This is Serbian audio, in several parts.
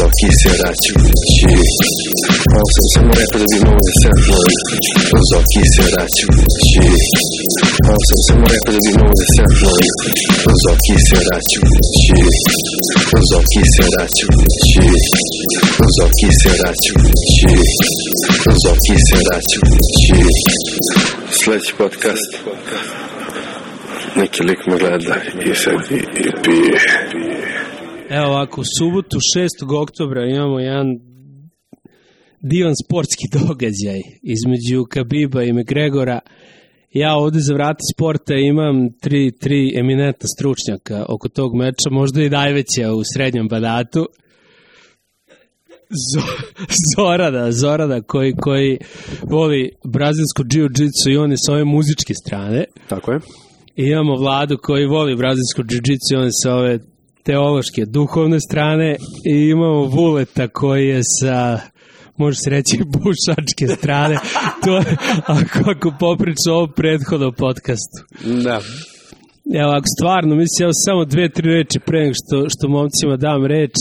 occhi seraciući. Ovo sam samo rekao da bi mogo da samplujem. Uz occhi seraciući. Ovo sam samo rekao da bi mogo da samplujem. Uz occhi seraciući. Uz occhi seraciući. Uz occhi seraciući. Uz occhi seraciući. Sljedeći podcast. Neki lik me gleda i sedi i pije. Evo ovako, u subotu 6. oktobra imamo jedan divan sportski događaj između Khabiba i McGregora. Ja ovdje za vrati sporta imam tri eminentna stručnjaka oko tog meča, možda i najveća u srednjem Banatu. Zorada koji voli brazilsku jiu-jitsu i on je s ove muzičke strane. Tako je. I imamo Vladu koji voli brazilsku jiu-jitsu i on je sa ove teološke, duhovne strane. I imamo Vuleta koji je sa, može se reći, bušačke strane. To je, ako popriču o ovom prethodnom podcastu. Da. Evo, ako stvarno, mislim, evo samo 2-3 reči pre nego što momcima dam reč,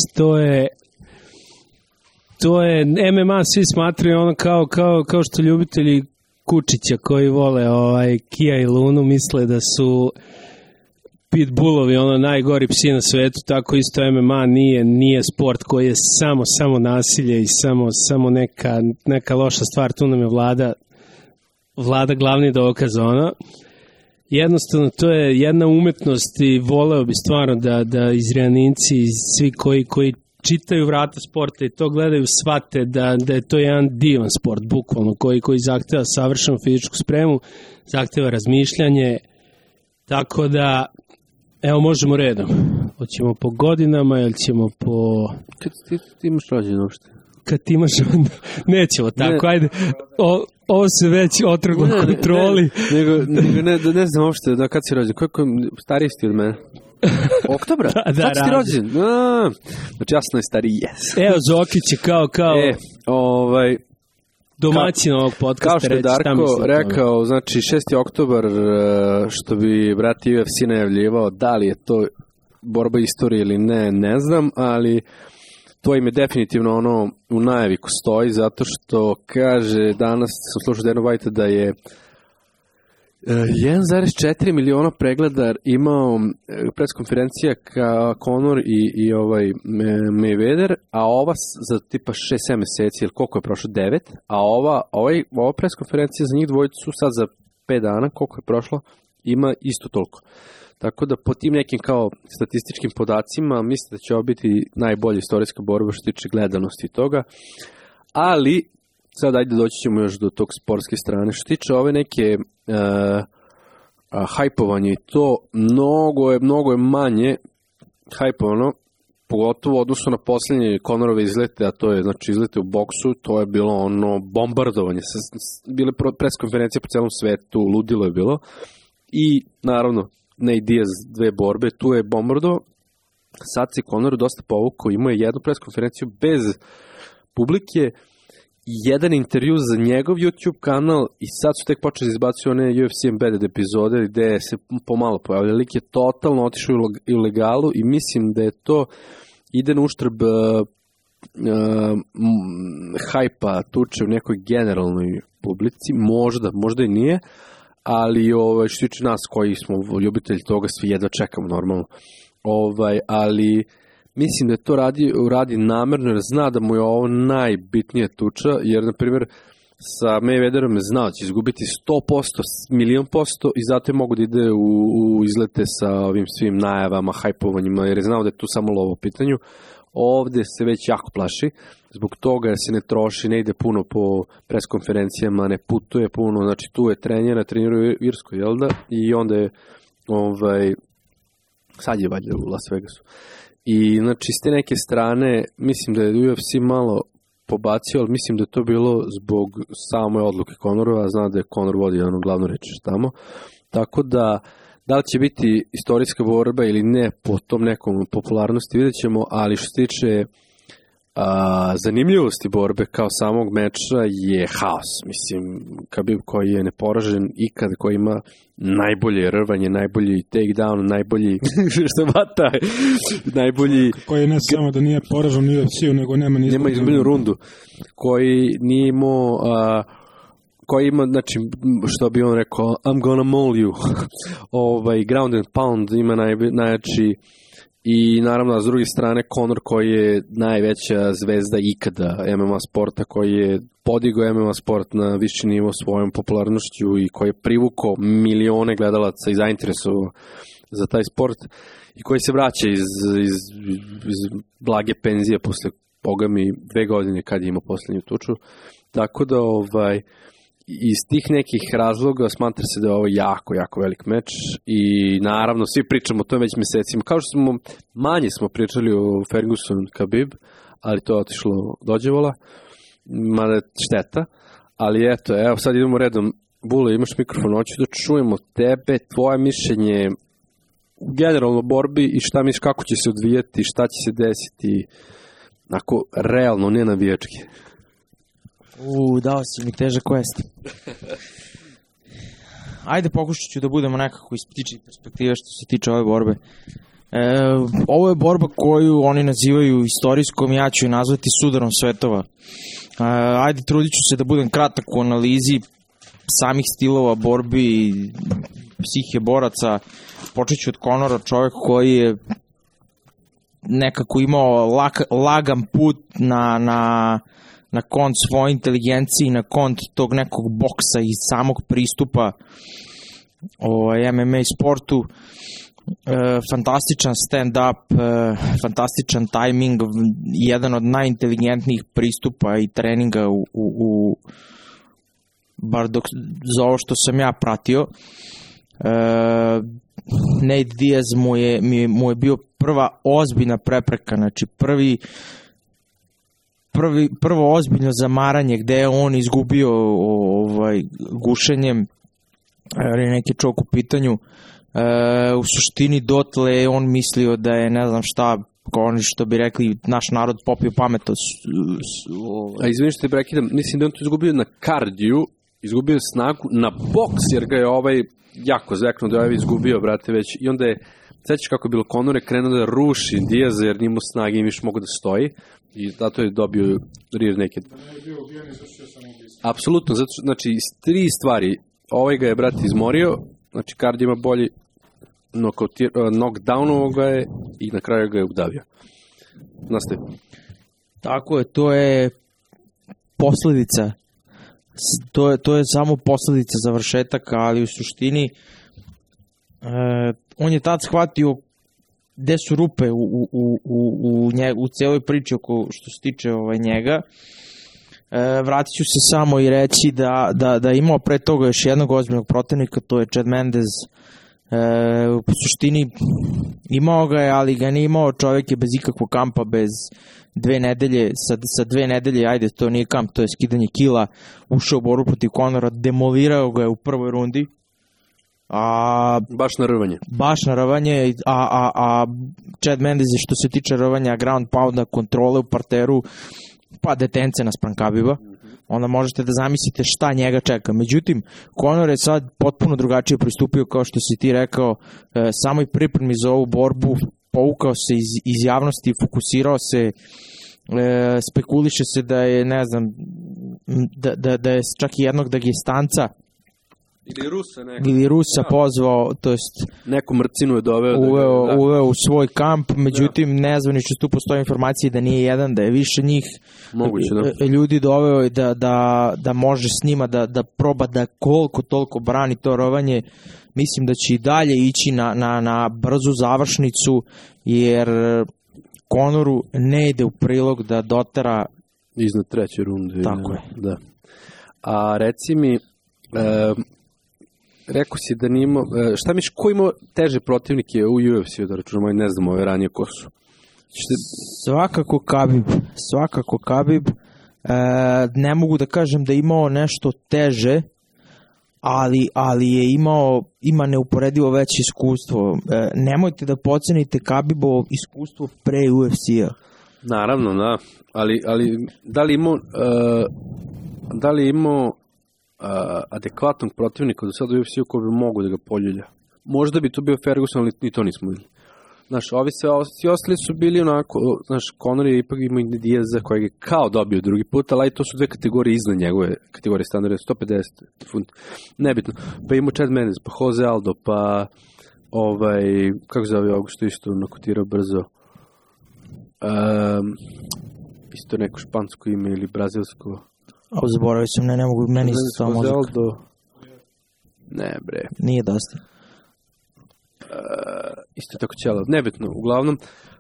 to je MMA, svi smatraju ono kao što ljubitelji kučića koji vole Kia i Lunu misle da su pitbullovi ono najgori psi na svetu, tako isto MMA nije sport koji je samo nasilje i samo neka loša stvar, tu nam je Vlada glavni dokaz ono. Jednostavno to je jedna umetnost i voleo bi stvarno da Izraelinci i svi koji čitaju vrata sporta i to gledaju shvate da je to jedan divan sport, bukvalno, koji zahteva savršenu fizičku spremu, zahteva razmišljanje, tako da, evo možemo redom. Hoćemo po godinama ili ćemo po... Kad ti imaš rođen uopšte? Kad ti imaš... Nećemo tako, ajde. Ovo se već otrglo kontroli. Ne znam uopšte da kad si rođen. Koliko stariji si od mene? Oktobra? Da, kad si ti rođen? Znači jasno je stariji, yes. Evo Zokić je kao domaćin ovog podcasta. Kao što je Darko rekao, znači 6. oktobar, što bi brat UFC najavljivao, da li je to borba istorije ili ne znam, ali to im je definitivno ono u najavi ko stoji, zato što kaže, danas sam slušao Dana Whitea da je 1,4 miliona pregleda imao preskonferencija Conor i Mayweather, a ova za tipa 6-7 meseci, ili koliko je prošlo, 9, a ova preskonferencija za njih dvojicu sad za 5 dana, koliko je prošlo, ima isto toliko. Tako da po tim nekim kao statističkim podacima mislim da će ovo biti najbolja istorijska borba što tiče gledanosti i toga, ali sad ajde doći ćemo još do tog sportske strane. Što tiče ove neke hajpovanje, to mnogo je manje hajpovano, pogotovo u odnosu na posljednje Conorove izlete, a to je znači izlete u boksu, to je bilo ono bombardovanje. Bile preskonferencije po celom svetu, ludilo je bilo. I naravno, Nate Diaz 2 borbe, tu je bombardovao. Sad se Conor dosta povukao, imao je jednu preskonferenciju bez publike, jedan intervju za njegov YouTube kanal i sad su tek počeli izbaciti one UFC Embedded epizode gde se pomalo pojavlja. Lik je totalno otišao u ilegalu i mislim da je to ide na uštrb hajpa tuče u nekoj generalnoj publici, možda i nije, ali što tiče nas koji smo ljubitelji toga, svi jedva čekamo normalno. Ali mislim da je to radi namerno jer zna da mu je ovo najbitnija tuča, jer na primjer sa Mayweatherom je znao da će izgubiti 100%, 1,000,000% i zato je mogu da ide u izlete sa ovim svim najavama, hajpovanjima, jer je znao da je tu samo lovo u pitanju. Ovdje se već jako plaši, zbog toga se ne troši, ne ide puno po preskonferencijama, ne putuje puno, znači tu je trenira u Irskoj, jel da? I onda je, sad je valjda u Las Vegasu. I znači s te neke strane, mislim da je UFC malo pobacio, ali mislim da je to bilo zbog same odluke Conorova, zna da je Conor vodi ono glavno reči tamo, tako da li će biti istorijska borba ili ne po tom nekom popularnosti vidjet ćemo, ali što se tiče zanimljivosti borbe kao samog meča je haos. Mislim, Khabib koji je neporažen ikad, koji ima najbolje rvanje, najbolji takedown, najbolji što vata, najbolji... Koji ne samo da nije poražen u UFC-u, nego nema izgubljenu rundu. Koji nije imao... koji ima, znači, što bi on rekao, I'm gonna maul you. Ground and pound ima najjači. I naravno, s druge strane, Conor koji je najveća zvezda ikada MMA sporta, koji je podigao MMA sport na viši nivo svojom popularnošću i koji je privukao milione gledalaca i zainteresovao za taj sport i koji se vraća iz blage penzije posle bogami 2 godine kad je imao poslednju tuču. Tako da iz tih nekih razloga smatra se da je ovo jako, jako velik meč i naravno svi pričamo o tome već mesecima. Kao što manje smo pričali o Ferguson Khabib, ali to je otišlo dođevola, mada je šteta, ali evo sad idemo redom. Bule, imaš mikrofon, hoću da čujemo tebe, tvoje mišljenje generalno o borbi i šta misliš kako će se odvijati, šta će se desiti, ako realno, ne navijački. Dao si mi težak quest. Ajde, pokušat ću da budemo nekako iz ptičih perspektive što se tiče ove borbe. Ovo je borba koju oni nazivaju istorijskom, ja ću je nazvati sudarom svetova. Ajde, trudit ću se da budem kratak u analizi samih stilova borbi, psihe boraca. Počet ću od Conora, čovjek koji je nekako imao lagan put na kont svoje inteligencije, na kont tog nekog boksa i samog pristupa MMA sportu. Fantastičan stand-up, fantastičan tajming, jedan od najinteligentnijih pristupa i treninga bar za ovo što sam ja pratio. Nate Diaz mu je bio prva ozbiljna prepreka, znači prvo ozbiljno zamaranje gde je on izgubio gušenjem, neki čovjek u pitanju. U suštini dotle je on mislio da je ne znam šta, kao oni što bi rekli naš narod popio pamet. Izvini što te prekidam, mislim da on to izgubio na kardiju, izgubio snagu na boks jer ga je jako zveknuo da je izgubio, brate, već i onda je, sećaš kako je bilo, Conor je krenuo da ruši Diaza jer nimo snage i više mogu da stoji i zato je dobio rear naked. Apsolutno, zato što, znači, 3 stvari, ga je, brate, izmorio, znači kardio ima bolji, knockdownovo ga je i na kraju ga je udavio. Nastavi. Tako je, to je posledica. To je samo posledica završetaka, ali u suštini on je tad shvatio gde su rupe u celoj priči oko što se tiče njega. Vratit ću se samo i reći da imao pre toga još jednog ozbiljnog protivnika, to je Chad Mendes. U suštini imao ga je, ali ga nije imao, čovjek je bez ikakvog kampa, bez 2 nedelje, sa 2 nedelje, ajde, to nije kamp, to je skidanje kila, ušao u borbu protiv Conora, demolirao ga je u prvoj rundi. Baš na rvanje, a Chad Mendes je što se tiče rvanja, ground pounda, kontrole u parteru, pa detence naspram Khabiba, onda možete da zamislite šta njega čeka. Međutim, Conor je sad potpuno drugačije pristupio, kao što si ti rekao, samoj pripremi za ovu borbu, povukao se iz javnosti, fokusirao se, spekuliše se da je, ne znam, da je čak i jednog Dagestanca ili Rusa pozvao, to jest neku mrcinu je doveo, uveo u svoj kamp, međutim nezvanično tu postoje informacije da nije jedan, da je više njih. Moguće, ljudi doveo i da može s njima da proba da koliko toliko brani to rovanje. Mislim da će i dalje ići na brzu završnicu, jer Conoru ne ide u prilog da dotera iznad 3. runde. Tako je. Da. A reci mi, rekao si da nije imao, šta misliš, ko imao teže protivnike u UFC-u, da računamo, ne znamo ove ranije ko su? Svakako Khabib. Ne mogu da kažem da je imao nešto teže, ali je ima neuporedivo veće iskustvo. Nemojte da podcenite Khabibovo iskustvo pre UFC-a. Naravno, da. Ali da li imao adekvatnog protivnika do sada u UFC-u koji bi mogu da ga poljulja? Možda bi to bio Ferguson, ali ni to nismo vidjeli. Znaš, svi ostali su bili onako, znaš, Conor je ipak imao i Diaza kojeg je kao dobio drugi put, ali to su dve kategorije iznad njegove kategorije standarda, 150 funti, nebitno. Pa imao Chad Mendes, pa Jose Aldo, pa kako se zove ovog što isto nakotirao brzo, isto neko špansko ime ili brazilsko. Zaboravio sam, ne mogu, meni isto to mozak. Aldo. Ne bre. Nije dosta. Isto tako ćelav, nebitno, uglavnom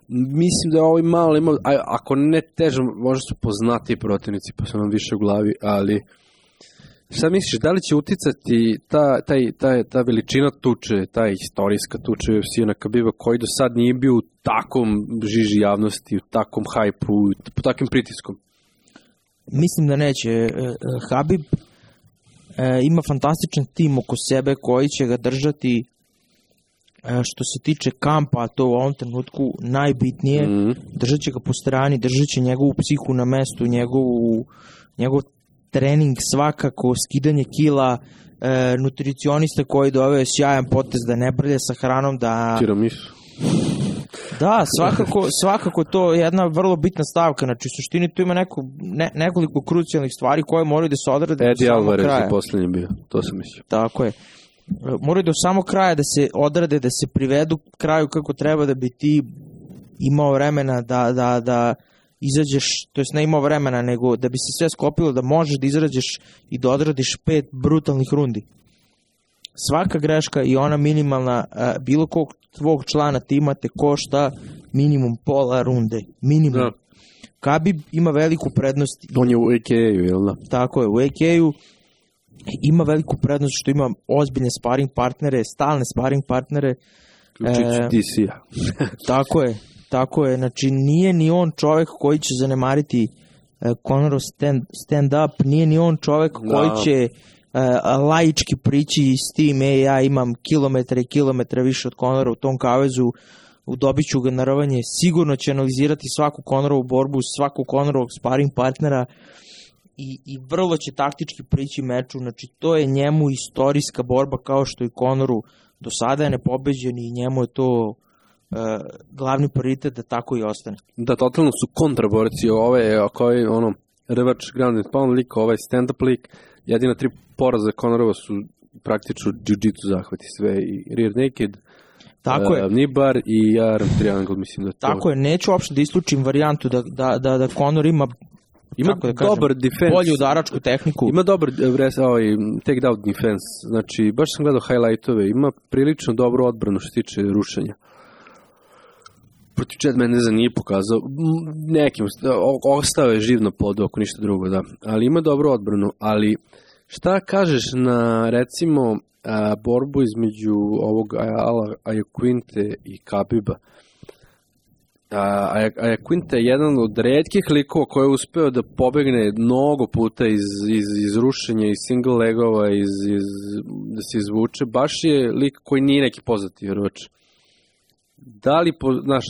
mislim da ovo malo ima, ako ne teže, možda su poznati protivnici pa su nam više u glavi, ali šta misliš, da li će uticati ta veličina tuče, ta istorijska tuče UFC na Khabiba koji do sad nije bio u takvom žiži javnosti, u takvom hajpu, po takvim pritiskom? Mislim da neće. Khabib ima fantastičan tim oko sebe koji će ga držati. Što se tiče kampa, to u ovom trenutku najbitnije, držat će ga po strani, držat će njegovu psihu na mestu, njegov trening svakako, skidanje kila, nutricionista koji doveo sjajan potez da ne brlje sa hranom, da... Tiramisu. Da, svakako to je jedna vrlo bitna stavka, znači u suštini tu ima nekoliko krucijalnih stvari koje moraju da se odrade do samog kraja. Eddie Alvarez je poslednji bio, to sam mislio. Tako je. Moraju do samog kraja da se odrade, da se privedu kraju kako treba, da bi ti imao vremena da izađeš, to jest ne imao vremena, nego da bi se sve sklopilo, da možeš da izađeš i da odradiš 5 brutalnih rundi. Svaka greška i ona minimalna, bilo kog tvog člana tima te košta minimum pola runde. Minimum. Da. Khabib ima veliku prednost. On je u AKA-u, jel da? Tako je, u AKA-u ima veliku prednost što ima ozbiljne sparing partnere, stalne sparing partnere. Učići DC-a. Tako je, znači nije ni on čovek koji će zanemariti Conorov stand-up, nije ni on čovek koji će laički prići s tim, ja imam kilometre i kilometre više od Conora u tom kavezu, dobit ću ga na rvanje, sigurno će analizirati svaku Conorovu borbu, svaku Conorovog sparing partnera i vrlo će taktički prići meču, znači to je njemu istorijska borba kao što i Conoru do sada je nepobeđen i njemu je to glavni prioritet da tako i ostane. Da, totalno su kontraborci koji revač ground and pound lik, ovaj stand-up lik, jedina 3 poraza Conorova su praktično jiu-jitsu zahvati sve i rear naked, Nibar i arm triangle, mislim da to... Tako je, neću uopšte da isključim varijantu da Conor ima dobar defense, bolju udaračku tehniku. Ima dobar take down defense, znači baš sam gledao highlightove, ima prilično dobru odbranu što se tiče rušenja. Protiv Chad Mendeza nije pokazao, nekim, ostao je živ na podu, ako ništa drugo, da. Ali ima dobru odbranu, ali šta kažeš na, recimo, borbu između ovog Iaquinte i Khabiba? Iaquinte je jedan od retkih likova koji je uspeo da pobegne mnogo puta iz rušenja, iz single legova, da se izvuče. Baš je lik koji nije neki poznati vjerovač.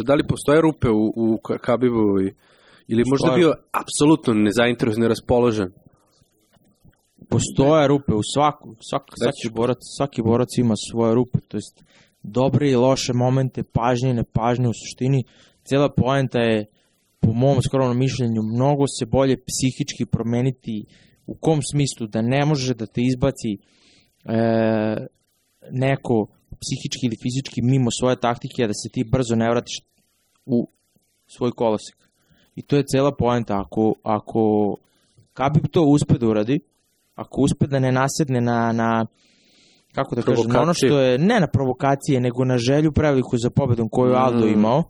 Da li postoje rupe u Khabibovi ili možda bio apsolutno nezainteresovan, neraspoložen? Postoje rupe u svaki borac ima svoje rupe, to jest dobre i loše momente, pažnje i nepažnje. U suštini cijela poenta je, po mom skromnom mišljenju, mnogo se bolje psihički promeniti. U kom smislu? Da ne može da te izbaci neko psihički ili fizički mimo svoje taktike, a da se ti brzo ne vratiš u svoj kolosek. I to je cela poenta. Ako Khabib to uspe da uradi, ako uspe da ne nasedne na kako da kažem, ono što je, ne na provokacije, nego na želju preveliku za pobedom koju Aldo imao,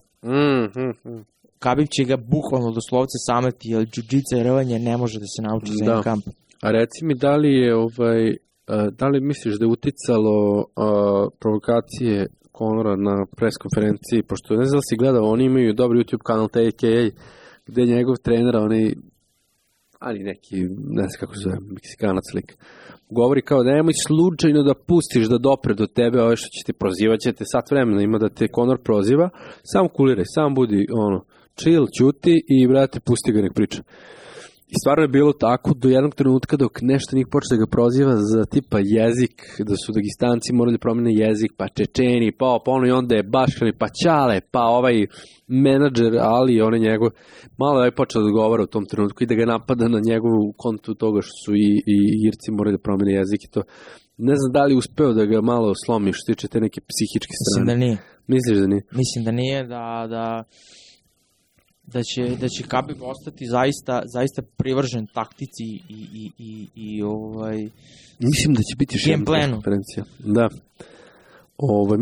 Khabib će ga bukvalno doslovce sameti, jer jiu-jitsu i rvanje ne može da se nauči za jedan kamp. A reci mi, da li misliš da je uticalo provokacije Conora na pres konferenciji, pošto ne znam da si gledao, oni imaju dobar YouTube kanal TKA, gde je njegov trener, ali neki, ne znam kako se zove, Meksikanac lik, govori kao nemoj slučajno da pustiš da dopre do tebe ove što će te prozivat, će te sat vremena ima da te Conor proziva, sam kuliraj, sam budi chill, ćuti i brate pusti ga nek priča. I stvarno je bilo tako do jednog trenutka dok nešto njih počne da ga proziva za tipa jezik, da su Dagestanci morali da promene jezik, pa Čečeni, pa ono i onda je Baškani, pa Ćale, pa ovaj menadžer Ali, on je njegov, malo je počeo da odgovara u tom trenutku i da ga napada na njegovu kontu toga što su i Irci morali da promene jezik i to. Ne znam da li uspeo da ga malo slomi što tiče te neke psihičke strane. Mislim da nije. Misliš da nije? Mislim da nije, da će Khabib ostati zaista privržen taktici i mislim da će biti još jedna konferencija. Da.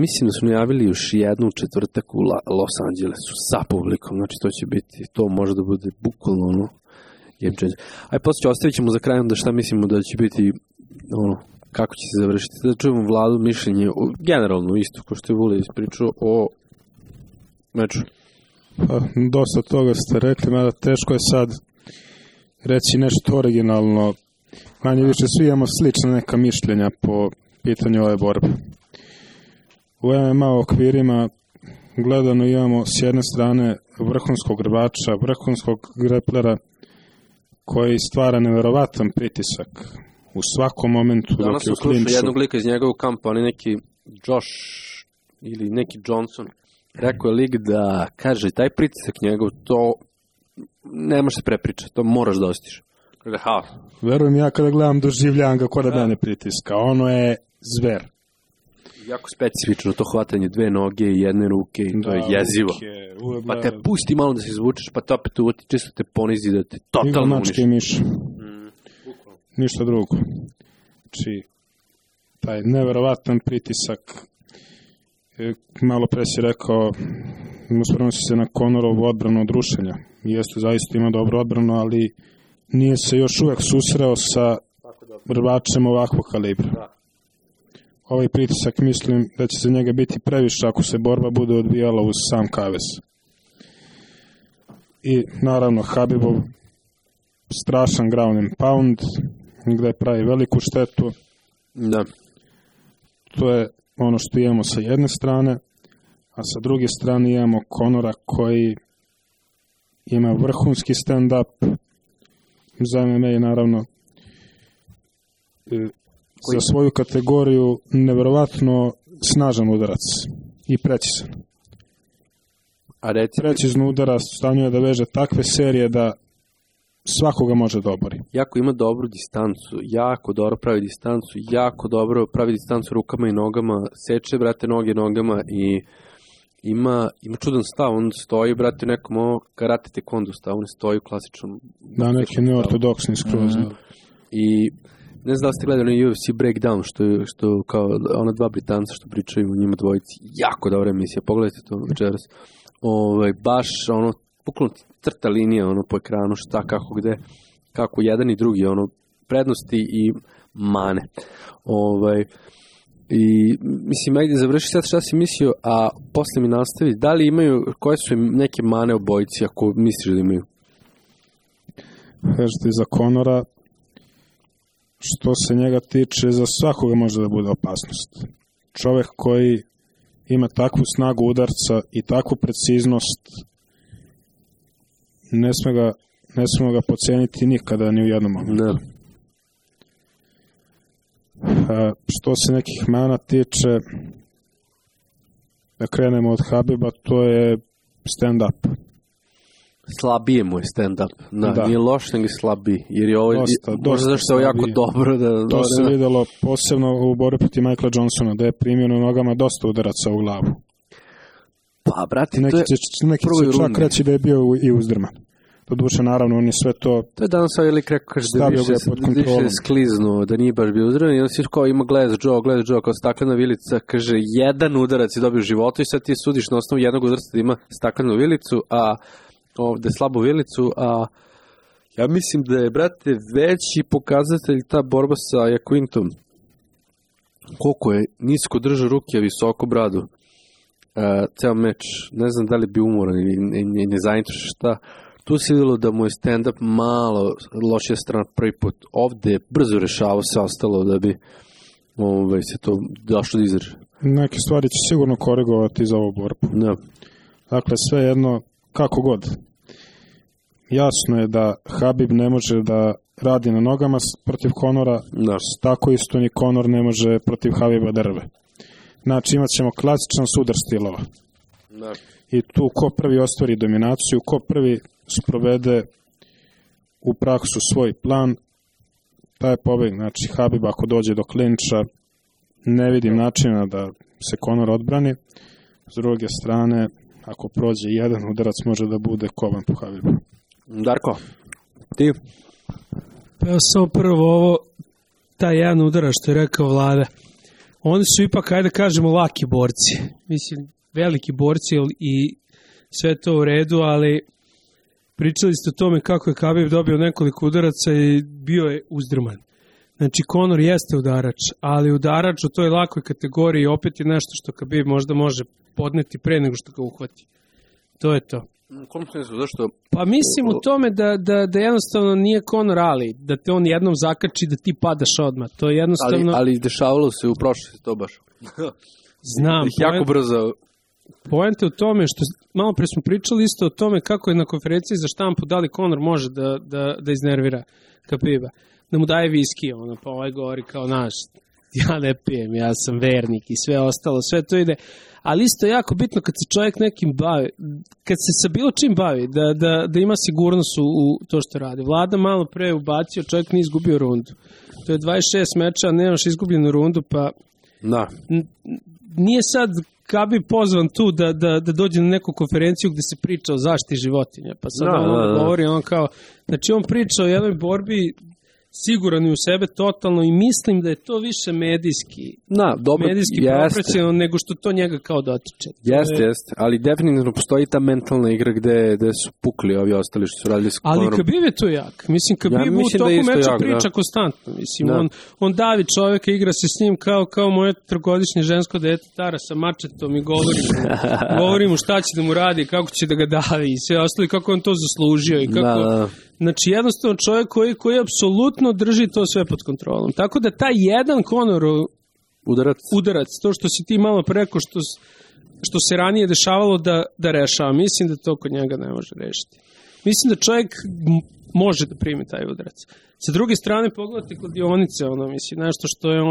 Mislim da su najavili još jednu u četvrtak u Los Angelesu sa publikom, znači to će biti, to može da bude bukvalno game changer. Aj, poslije ostavit ćemo za krajom da šta mislimo da će biti kako će se završiti, da čujemo Vladu mišljenje, generalno isto, ko što je Vule ispričao o meču. Dosta toga ste rekli, mada teško je sad reći nešto originalno. Manje više svi imamo slična neka mišljenja po pitanju ove borbe. U MMA okvirima gledano imamo s jedne strane vrhunskog rvača, vrhunskog greplera koji stvara neverovatan pritisak u svakom momentu dok je u klinču. Danas sam slušao jednog lika iz njegovog kampa, on je neki Josh ili neki Johnson. Rekao je lik da, kaže, taj pritisak njegov, to ne može se prepričati, to moraš da ostiš. Kaže, verujem, ja kada gledam doživljam ga kod da mene pritiska, ono je zver. Jako specifično to hvatanje dve noge i jedne ruke i to je jezivo. Pa te pusti malo da se izvučeš, pa te opet uvoti, čisto te ponizi da te totalno uniši. Miš. Ništa drugo. Znači, taj neverovatan pritisak, malo pre si rekao, uspravno si se na Conorovu odbranu od rušenja. Jeste, zaista ima dobru odbranu, ali nije se još uvek susreo sa rvačem ovakvog kalibra. Da. Ovaj pritisak mislim da će za njega biti previše ako se borba bude odvijala uz sam kavez. I naravno Khabibov strašan ground and pound gde pravi veliku štetu. Da. To je ono što imamo sa jedne strane, a sa druge strane imamo Conora koji ima vrhunski stand-up za MMA je naravno za svoju kategoriju neverovatno snažan udarac i precizan. Precizno udarac stanju je da veže takve serije da svakoga može da obori. Jako ima dobru distancu, jako dobro pravi distancu, jako dobro pravi distancu rukama i nogama, seče, brate, noge nogama i ima čudan stav, on stoji, brate, u nekom karate taekwondo stav, on stoji u klasičnom... Da, neki neortodoksni skroz. I ne znam da ste gledali UFC Breakdown, što kao ona dva Britanca što pričaju o njima dvojici, jako dobra emisija, pogledajte to večeras. Baš ono, bukvalno crta linija po ekranu, šta, kako, gde, kako jedan i drugi, prednosti i mane. I mislim, ajde završi sad šta si mislio, a posle mi nastavi, da li imaju, koje su im neke mane obojici, ako misliš da imaju? Kažete, za Conora, što se njega tiče, za svakoga može da bude opasnost. Čovek koji ima takvu snagu udarca i takvu preciznost, ne smemo ga poceniti nikada ni u jednom momentu. Ne. Što se nekih mana tiče, da krenemo od Khabiba, to je stand-up. Slabije mu je stand-up. Da. Nije loš, nego slabiji. Jer je ovo, možda zašto je jako dobro. To se videlo posebno u borbi protiv Michaela Johnsona, da je primio na nogama dosta udaraca u glavu. Pa, brate, neki će čak reći da je bio i uzdrman. To duše, naravno, on je sve to... To je danas ovaj lik rekao, kaže da više skliznuo, da nije baš bio uzdrman. I on si kao ima Glass Joe, kao staklena vilica, kaže, jedan udarac je dobio u životu i sad ti sudiš na osnovu jednog udarca da ima staklenu vilicu, a ovde slabu vilicu, a ja mislim da je, brate, veći pokazatelj ta borba sa Jaquintom. Koliko je nisko drža ruke, a visoko bradu. Ceo meč, ne znam da li bi umoran ili ne zainteresuo šta. tu se vidjelo da mu je stand-up malo lošija strana prvi put. Ovde je brzo rešavao sve ostalo da bi se to došlo da izraže. Neke stvari će sigurno korigovati za ovu borbu. Da. Dakle, sve jedno, kako god. Jasno je da Habib ne može da radi na nogama protiv Conora, Da. tako isto ni Conor ne može protiv Habiba da rve. Znači, imat ćemo klasičan sudar stilova. Da. I tu ko prvi ostvari dominaciju, ko prvi sprovede u praksu svoj plan, taj je pobeg. Znači, Habib ako dođe do klinča, ne vidim načina da se Conor odbrani. S druge strane, ako prođe jedan udarac, može da bude kovan po Habibu. Darko, ti? Pa evo samo prvo ovo, taj jedan udarac što je rekao Vlada. Oni su ipak, ajde kažemo, laki borci. Mislim, veliki borci i sve to u redu, ali pričali ste o tome kako je Khabib dobio nekoliko udaraca i bio je uzdrman. Znači, Conor jeste udarač, ali udarač u toj lakoj kategoriji opet je nešto što Khabib možda može podneti pre nego što ga uhvati. To je to. Kom smislu, zašto? Pa mislim u tome da jednostavno nije Conor Ali, da te on jednom zakači da ti padaš odmah. To je jednostavno... Ali dešavalo se u prošlosti to baš. Znam. Jako brzo. Poenta je u tome što malo pre smo pričali isto o tome kako je na konferenciji za štampu da li Conor može da iznervira Khabiba. Da mu daje viski, pa ovaj govori kao naš, ja ne pijem, ja sam vernik i sve ostalo, sve to ide. Ali isto je jako bitno kad se čovjek nekim bavi, kad se sa bilo čim bavi, da ima sigurnost u to što radi. Vlada malo pre ubacio, čovjek nije izgubio rundu. To je 26 meča, nemaš izgubljenu rundu, pa Da. nije sad Khabib pozvan tu da dođe na neku konferenciju gde se priča o zaštiti životinja. Pa sad govori, on kao, znači on priča o jednoj borbi siguran je u sebe totalno i mislim da je to više medijski propraćeno nego što to njega kao dotiče. Jeste, ali definitivno postoji ta mentalna igra gde su pukli ovi ostali što su radili s Conorom. Ali Khabib je tu jak. Mislim, Khabib u toku meča priča konstantno. Mislim, on davi čoveka, igra se s njim kao moje trogodišnje žensko dete Tara sa mačetom i govori mu šta će da mu radi, kako će da ga davi i sve ostali, kako on to zaslužio i kako... Znači, jednostavno čovjek koji apsolutno drži to sve pod kontrolom. Tako da taj jedan Conor udarac, to što si ti malo preko, što se ranije dešavalo da rešava, mislim da to kod njega ne može rešiti. Mislim da čovjek može da primi taj udarac. Sa druge strane, pogledajte kladionice, mislim, nešto što je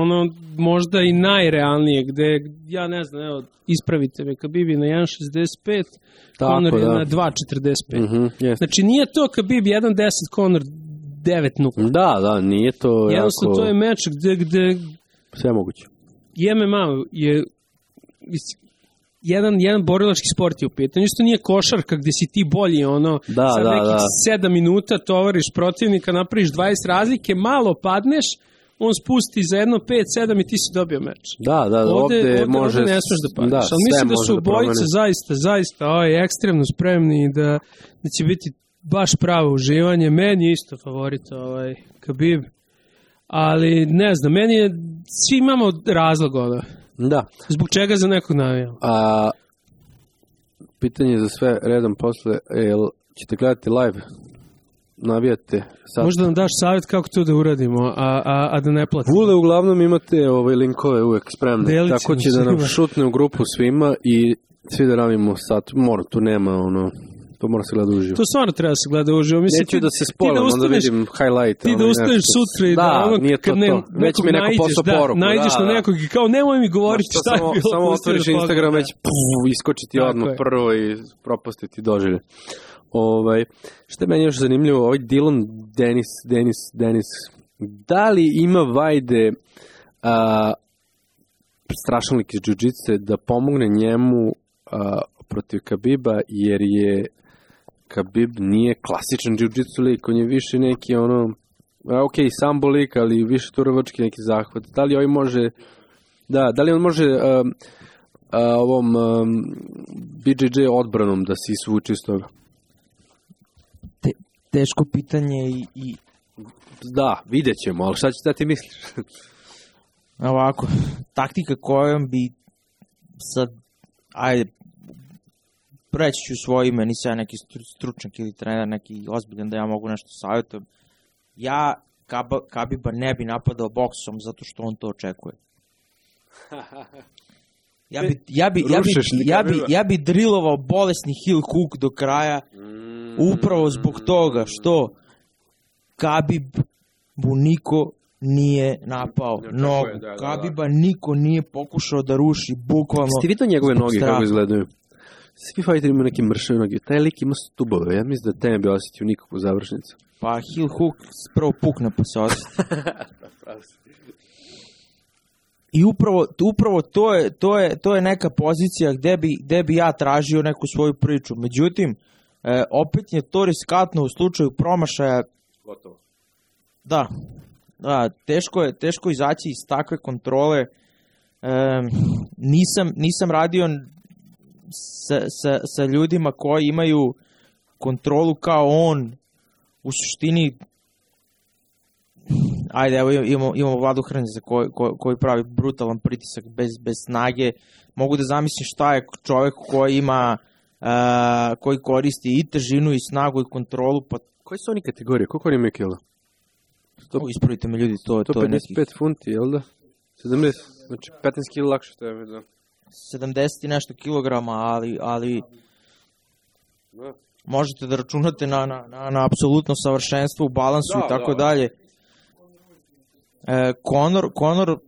možda i najrealnije, gde, ja ne znam, evo, ispravite me, Khabib je na 1.65, Conor je na 2.45. Znači, nije to Khabib 1.10, Conor 9.0. Da, nije to jednostavno, to je meč gde sve moguće. MMA je jedan borilački sport je u pitanju. Isto nije košarka gde si ti bolji, sad nekih 7 minuta tovariš protivnika, napraviš 20 razlike, malo padneš, on spusti za 1, 5, 7 i ti si dobio meč. Da, ovde može... ne smeš da padneš, ali mislim da su obojice zaista ekstremno spremni i da će biti baš pravo uživanje. Meni je isto favorit Khabib, ali ne znam, meni je, svi imamo razlog Da. Zbog čega za nekog navijamo? Pitanje za sve redom posle, ćete gledati live? Navijate? Sad? Možda nam daš savjet kako to da uradimo, a da ne platimo? Vule, uglavnom imate linkove uvek spremne, tako će da nam šutne u grupu svima i svi da radimo sad, tu nema to mora se gleda uživo. To stvarno treba se gleda uživo. Neću da se spoilam, onda vidim highlight. Ti da ustaneš sutra i nije to. Već mi neko poslao poruku. Nađeš na nekog i kao nemoj mi govoriti šta je bilo. Samo otvoriš Instagram, već iskočiti odmah prvo i propustiti doživlje. Što je meni još zanimljivo, Dylan Dennis, da li ima vajde strašnik iz džudžice da pomogne njemu protiv Khabiba, jer je Khabib nije klasičan jiu-jitsu lik, on je više neki sambo lik, ali više turovački neki zahvat. Da li on može ovom BJJ odbranom da se isvuči iz toga? Teško pitanje i... Da, vidjet ćemo, ali šta ti misliš? Ovako, taktika kojom bi sad, reći ću svoje ime, nisam ja neki stručnjak ili trener, neki ozbiljan da ja mogu nešto savjetujem. Ja Khabiba ne bi napadao boksom zato što on to očekuje. Ja bi drillovao bolesni heel hook do kraja upravo zbog toga što Khabibu niko nije napao nogu. Khabiba niko nije pokušao da ruši, bukvalno. Ste vidio njegove noge kako izgledaju? Svi fighteri imaju neke mršave noge. Taj lik ima stubove. Ja mislim da te ne bi osjetio nikakvu završnicu. Pa heel hook prvo pukne pa se osjeti. I upravo to je neka pozicija gde bi ja tražio neku svoju priču. Međutim, opet je to riskantno u slučaju promašaja. Gotovo. Da, teško izaći iz takve kontrole. Nisam radio sa ljudima koji imaju kontrolu kao on. U suštini, ajde, evo imamo Vladu Hrnjeza koji pravi brutalan pritisak bez snage. Mogu da zamislim šta je čovjek koji ima, koji koristi i težinu i snagu i kontrolu. Pa... Koje su oni kategorije? Koliko oni imaju kila? Ispravite me ljudi, to je nekih... 155 funti, jel da? 70, znači 15 kila lakše to je, da. 70 i nešto kilograma, ali možete da računate na apsolutno savršenstvo u balansu i tako dalje. Conor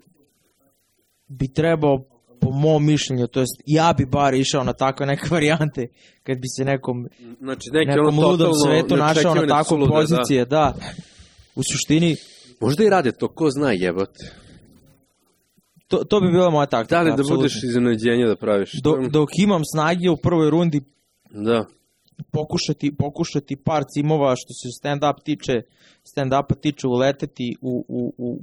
bi trebao, po mom mišljenju, to jest ja bi bar išao na takve neke varijante, kad bi se nekom ludom svetu našao na takvu pozicije, da. U suštini... Možda i rade to, ko zna jebate. To bi bila moja taktika. Da li da budeš iznenađenja da praviš? Dok imam snage u prvoj rundi, da. Pokušati par cimova što se stand-upa tiče uleteti u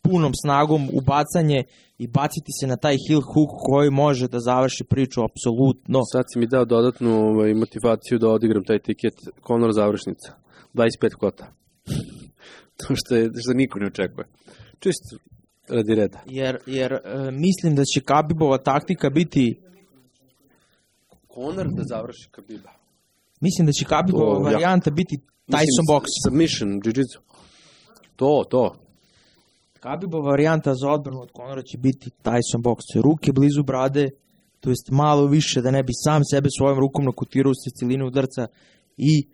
punom snagom u bacanje i baciti se na taj heel hook koji može da završi priču apsolutno. Sad si mi dao dodatnu motivaciju da odigram taj tiket Conor završnica. 25 kota. To što niko ne očekuje. Čisto radi reda. Jer mislim da će Khabibova taktika biti Conor da završi Khabiba. Mislim da će Khabibova varijanta biti Tyson box. Submission, jiu-jitsu. To. Khabibova varijanta za odbranu od Conora će biti Tyson box. Ruke blizu brade, to jest malo više da ne bi sam sebe svojom rukom nakutirao s celinu udarca i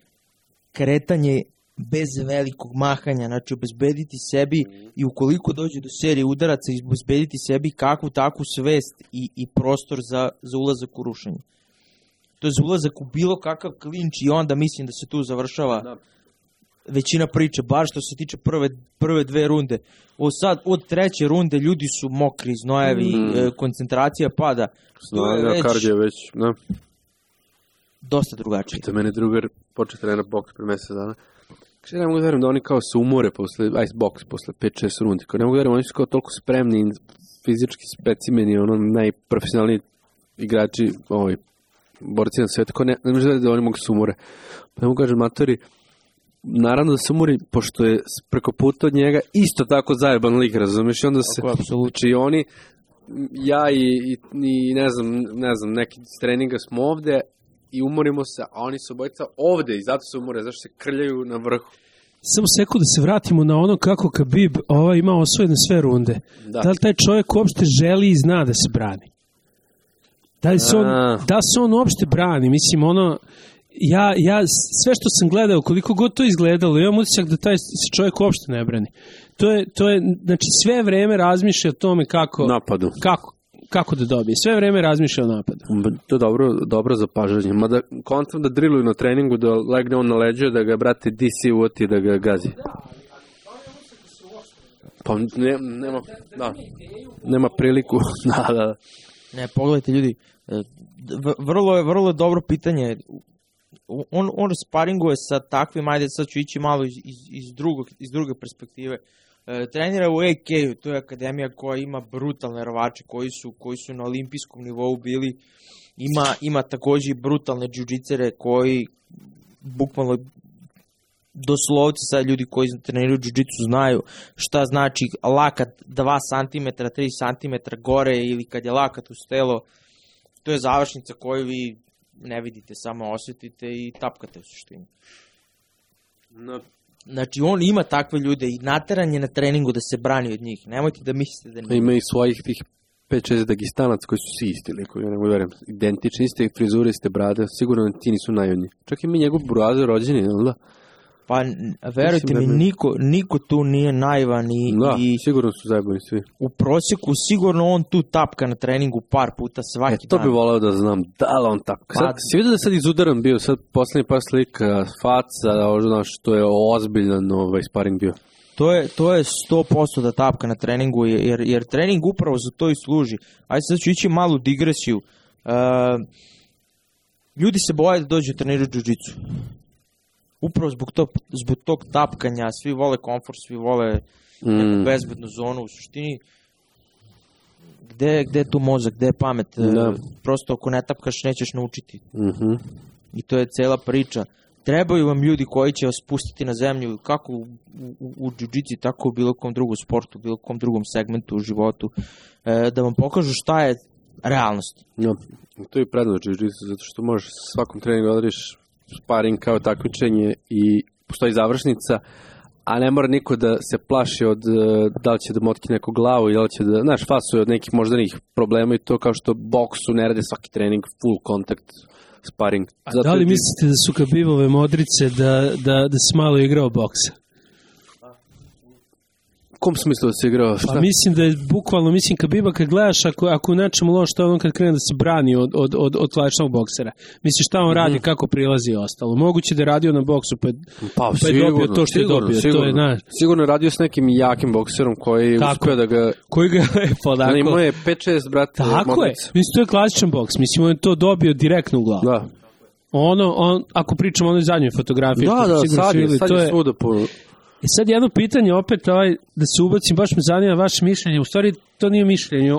kretanje bez velikog mahanja, znači obezbediti sebi i ukoliko dođe do serije udaraca, obezbediti sebi kakvu takvu svest i prostor za ulazak u rušenje. To je za ulazak u bilo kakav klinč i onda mislim da se tu završava većina priče, bar što se tiče prve dve runde. Od treće runde ljudi su mokri, znojevi, koncentracija pada. Kardio već, da. Dosta drugačije. Pita mene drugar, počeo trenirati boks pre mesec dana. Kaže, ne mogu da verujem da oni kao se umore posle boks, posle 5-6 rundi. Kao ne mogu da verujem, oni su kao toliko spremni, fizički specimeni, ono najprofesionalniji igrači, borci na svijetu, kao ne može da oni mogu se umore. Pa ne mogu kažem, matori, naravno da se umori, pošto je preko puta od njega isto tako zajeban lik, razumiješ? I onda se, znači oni, ja i ne znam, neki s treninga smo ovde i umorimo se, a oni su obojica ovde i zato se umore, zašto se krljaju na vrhu. Samo sekundu da se vratimo na ono kako Khabib ima osvojene sve runde. Da li taj čovjek uopšte želi i zna da se brani? Da se on uopšte brani? Mislim, ja sve što sam gledao, koliko god to izgledalo, imam utisak da taj se čovjek uopšte ne brani. To je, znači sve vreme razmišlja o tome napadu. Kako da dobije. Sve vreme razmišlja o napadu. To je dobro zapažanje. Mada kontam da driluju na treningu, da legne on na leđe, da ga, brate, DC uvoti, da ga gazi. Pa nema priliku. Da. Ne, pogledajte ljudi, vrlo je dobro pitanje. On sparinguje sa takvim, ajde sad ću ići malo iz druge perspektive. Trenira u AK-u, to je akademija koja ima brutalne rvače koji su na olimpijskom nivou bili. Ima takođe i brutalne džiu-džicere koji bukvalno doslovci sad ljudi koji treniraju džiu-džicu znaju šta znači lakat 2 cm, 3 cm gore ili kad je lakat uz telo. To je završnica koju vi ne vidite, samo osjetite i tapkate u suštini. No. Znači, on ima takve ljude i nateran je na treningu da se brani od njih. Nemojte da mislite da nije. Ima i svojih tih 5-6 Dagestanaca koji su svi isti likovi, ja ne mogu verujem, identični, iste frizure, iste brade, sigurno ti nisu najodnji. Čak i mi njegov brade rođeni, jel da? Pa, verujte mi, niko tu nije naivan i sigurno su zajebani svi. u prosjeku sigurno on tu tapka na treningu par puta svaki To dan. bi volao da znam, da li on tapka. Sad, si vidio da sad izudaran bio, sad poslednji par slika, faca, znaš, to je ozbiljan sparing bio. To je 100% da tapka na treningu, jer trening upravo za to i služi. Ajde sad ću ići malu digresiju. Ljudi se boje da dođu trenirati džiu-džicu. Upravo zbog tog tapkanja, svi vole komfort, svi vole neku bezbednu zonu. U suštini, gde je tu mozak, gde je pamet? Da. Prosto ako ne tapkaš nećeš naučiti. Mhm. I to je cela priča. Trebaju vam ljudi koji će vas spustiti na zemlju, kako u džiu-džici, tako u bilo kom drugom sportu, bilo kom drugom segmentu u životu, da vam pokažu šta je realnost. Ja, to je prednost džiu-džicu, zato što možeš svakom treningu odrediš sparing kao takmičenje i postoji završnica, a ne mora niko da se plaši od da li će da motki neku glavu ili da li će da, znaš, fasuje od nekih moždanih problema i to kao što boksu ne rade svaki trening, full contact sparing. A da li mislite da su Khabibove modrice da si malo igrao boksa? U kom smislu da se igrao? Šta? Pa mislim da je bukvalno, Khabiba kad gledaš, ako u nečemu loš, to je on kad krene da se brani od klasičnog boksera. Misliš šta on radi, kako prilazi i ostalo. Moguće da je radio na boksu, pa je dobio to što je dobio. Sigurno je radio s nekim jakim bokserom koji uspio da ga... Koji ga je podako. Imao je 5-6, brate. Tako je. Mislim, to je klasičan boks. Mislim, on je to dobio direktno u glavu. Da. Ako pričamo o onoj zadnjoj fotografiji. Da, sad je svuda po... I sad jedno pitanje opet, da se ubacim, baš me zanima vaše mišljenje. U stvari, to nije mišljenje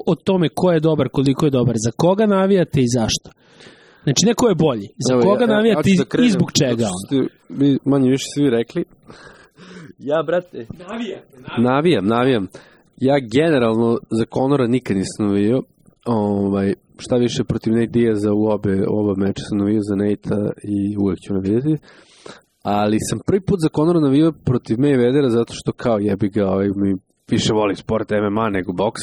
o tome ko je dobar, koliko je dobar. Za koga navijate i zašto? Znači, neko je bolji. Za koga navijate i zbog čega? Vi manje više svi rekli. Ja, brate... Navijam. Ja generalno za Conora nikad nisam navijao. Šta više protiv Nate Diaza u oba meča sam navijao za Nate-a i uvek ću navijati. Ali sam prvi put za Conora navijao protiv Mayweathera zato što kao jebi ga, mi više voli sport MMA nego boks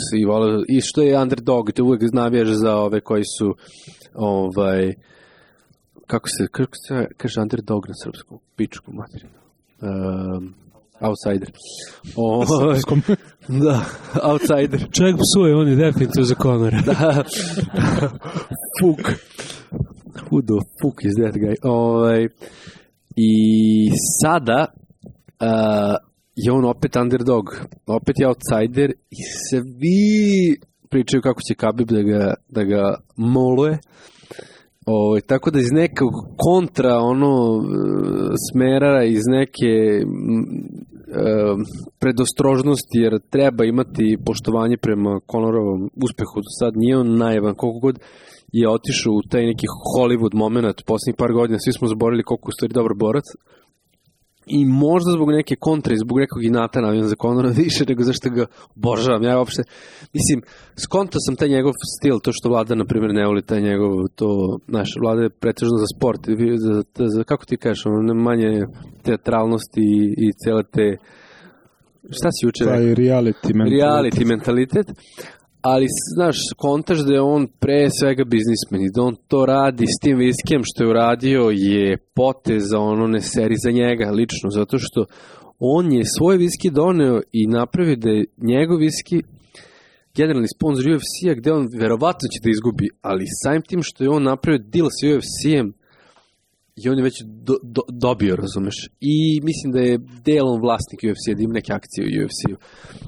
i što je underdog, te uvek navijaš za ove koji su kako se kaže underdog na srpskom, pičku materinu. Outsider. Da, outsider. Čovjek psuje, on je definitivno za Conora. Da. Fuck. Who the fuck is that guy? I sada je on opet underdog, opet je outsider i svi pričaju kako će Khabib da ga moluje. Tako da iz nekog kontra smera, iz neke predostrožnosti, jer treba imati poštovanje prema Conorovom uspehu do sad, nije on naivan, koliko god je otišao u taj neki Hollywood moment poslednjih par godina, svi smo zaboravili koliko je u stvari dobar borac i možda zbog neke kontre i zbog nekog inata navijam za Conora više nego zašto ga obožavam. Ja uopšte, mislim, skontao sam taj njegov stil, to što Vlada, na primjer, ne voli taj njegov, Vlada je pretežno za sport, kako ti kažeš, manje teatralnosti i cele te, šta si juče rekao? Reality mentalitet. Ali, znaš, kontaš da je on pre svega biznismen i da on to radi s tim viskijem što je uradio je potez za ne seri za njega lično, zato što on je svoj viski doneo i napravio da je njegov viski generalni sponsor UFC-a gde on verovatno će da izgubi, ali samim tim što je on napravio deal s UFC-em i on je već dobio, razumeš? I mislim da je delom vlasnik UFC-a, da ima neke akcije u UFC-u.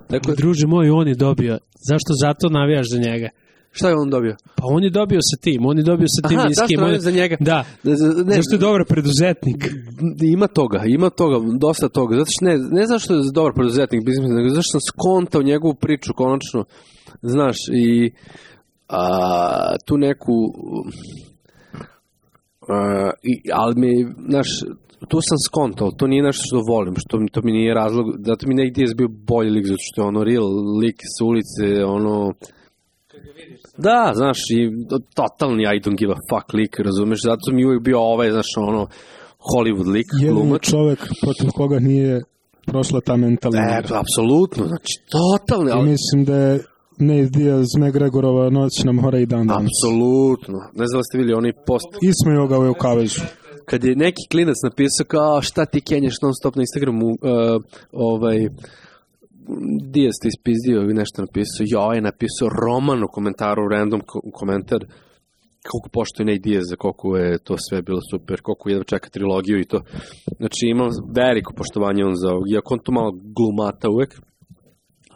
Dakle, druže moj, on je dobio. Zašto zato navijaš za njega? Šta je on dobio? Pa on je dobio sa tim, zašto navijaš za njega? Da, zašto je dobar preduzetnik? Ima toga, dosta toga. Zato što ne zašto je dobar preduzetnik, nego zašto sam skontao njegovu priču konačno, znaš, i tu neku... ali mi, znaš, tu sam skontao, to nije nešto što volim, to mi nije razlog, zato mi Nate Diaz bio bolji lik, zato što je real lik sa ulice, Da, znaš, i totalni I don't give a fuck lik, razumeš, zato mi uvijek bio znaš, Hollywood lik, glumac. Čovek protiv koga nije prošla ta mentalna. Apsolutno, znači, totalni. I mislim da je Nate Diaz, McGregorova noćna mora i dan danas. Apsolutno. Ne znam da ste vidjeli onaj post. Ismejao ga u kavezu. Kad je neki klinac napisao kao šta ti kenješ non stop na Instagramu, Diaz ti ispizdio i nešto napisao. Je napisao roman u komentaru, random komentar, koliko poštuje Nate Diaz, koliko je to sve bilo super, koliko jedva čeka trilogiju i to. Znači imam veliko poštovanje on za ovog, iako on to malo glumata uvek,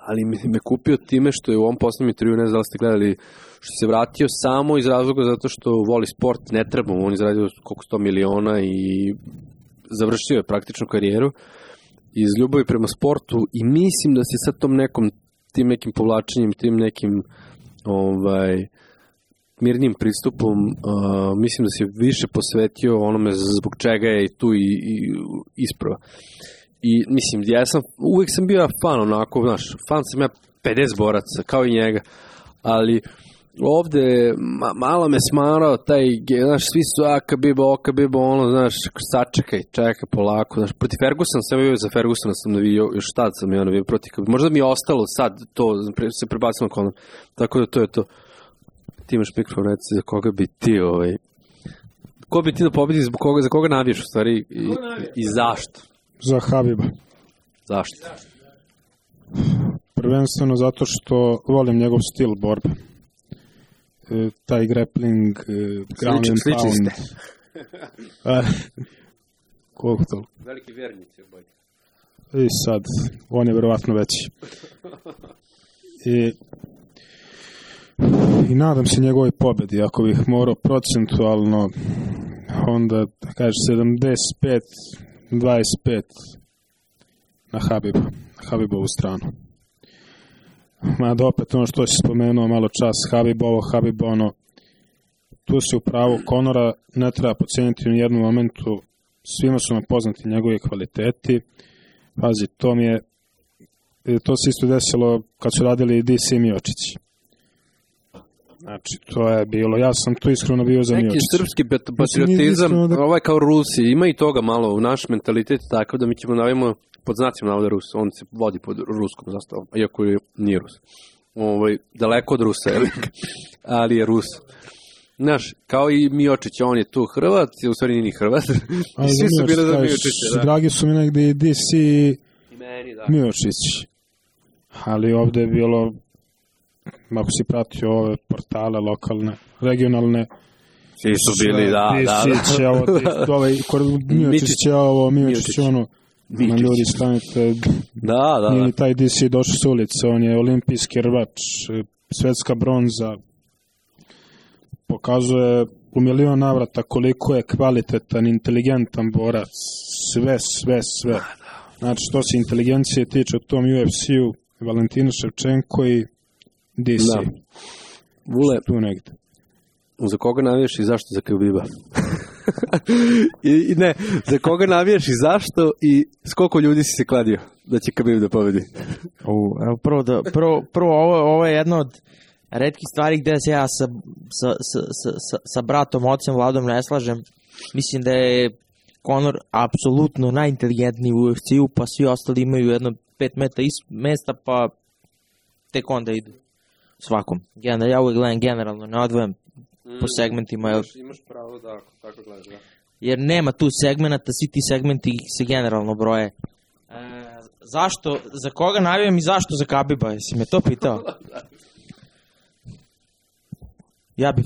ali me kupio time što je u ovom poslednjem intervju, ne znam da ste gledali, što se vratio samo iz razloga zato što voli sport, ne treba mu, on je zaradio koliko 100 miliona i završio je praktičnu karijeru iz ljubavi prema sportu i mislim da se sa tim nekim povlačenjem, tim nekim mirnim pristupom, mislim da se više posvetio onome zbog čega je tu i isprava. I mislim, uvijek sam bio fan onako, znaš, fan sam ja 50 boraca, kao i njega, ali ovde malo me smarao taj, znaš, svi su Khabib, znaš, sačekaj, čekaj polako, znaš, protiv Fergusona sam bio, za Fergusona sam navio, još tad sam ja navio protiv Khabib, možda mi je ostalo sad to, se prebacimo na Conor, tako da to je to. Ti imaš mikrofon, reci za koga bi ti, ko bi ti da pobedi, za koga navijaš u stvari i zašto? Za Khabiba. Zašto? Prvenstveno zato što volim njegov stil borbe. Taj grappling, ground and pound. Koliko to? Veliki vjernici oboj. I sad, on je verovatno veći. I nadam se njegovoj pobedi. Ako bih morao procentualno, onda kaže 75-25 na Khabibovu stranu. Mada opet ono što si spomenuo malo čas, Khabib ono, tu si u pravu, Conora ne treba poceniti u jednom momentu, svima su nam poznati njegovi kvaliteti. Pazi, to se isto desilo kad su radili DC i Miocić. Znači, to je bilo, ja sam tu iskreno bio za Miocić. Neki srpski patriotizam, kao Rusi, ima i toga malo u naš mentalitet, tako da mi ćemo navimo pod znacima navode Rus, on se vodi pod ruskom zastavom, iako nije Rus. Daleko od Rusa, ali je Rus. Znaš, kao i Miocić, on je tu Hrvat, u stvari nije ni Hrvat. Svi su bili za Miocića. Dragi su mi negde i DC i Miocić. Ali ovde je bilo, ako si pratio ove portale lokalne, regionalne, svi su bili, da. Miocić je ovo, Miocić je ono, na ljudi stanite, nije taj DC došao s ulice, on je olimpijski rvač, svetska bronza, pokazuje u milion navrata koliko je kvalitetan, inteligentan borac, sve. Znači, što se inteligencije tiče u tom UFC-u, Valentina Ševčenko i DC. Da. Vule, tu negde. Za koga navijaš i zašto za Khabiba? I ne, za koga navijaš i zašto i s koliko ljudi si se kladio da će Khabib da pobedi? Prvo ovo je jedno od retkih stvari gde se ja sa bratom, ocem Vladom ne slažem. Mislim da je Conor apsolutno najinteligentniji u UFC-u, pa svi ostali imaju jedno 5 mesta, pa tek onda idu svakom. Ja uvijek gledam generalno, ne odvojam po segmentima. Imaš pravo da tako gledaš, da. Jer nema tu segmenta, svi ti segmenti se generalno broje. Zašto, za koga navijam i zašto za Khabiba, jesi me to pitao? Ja bih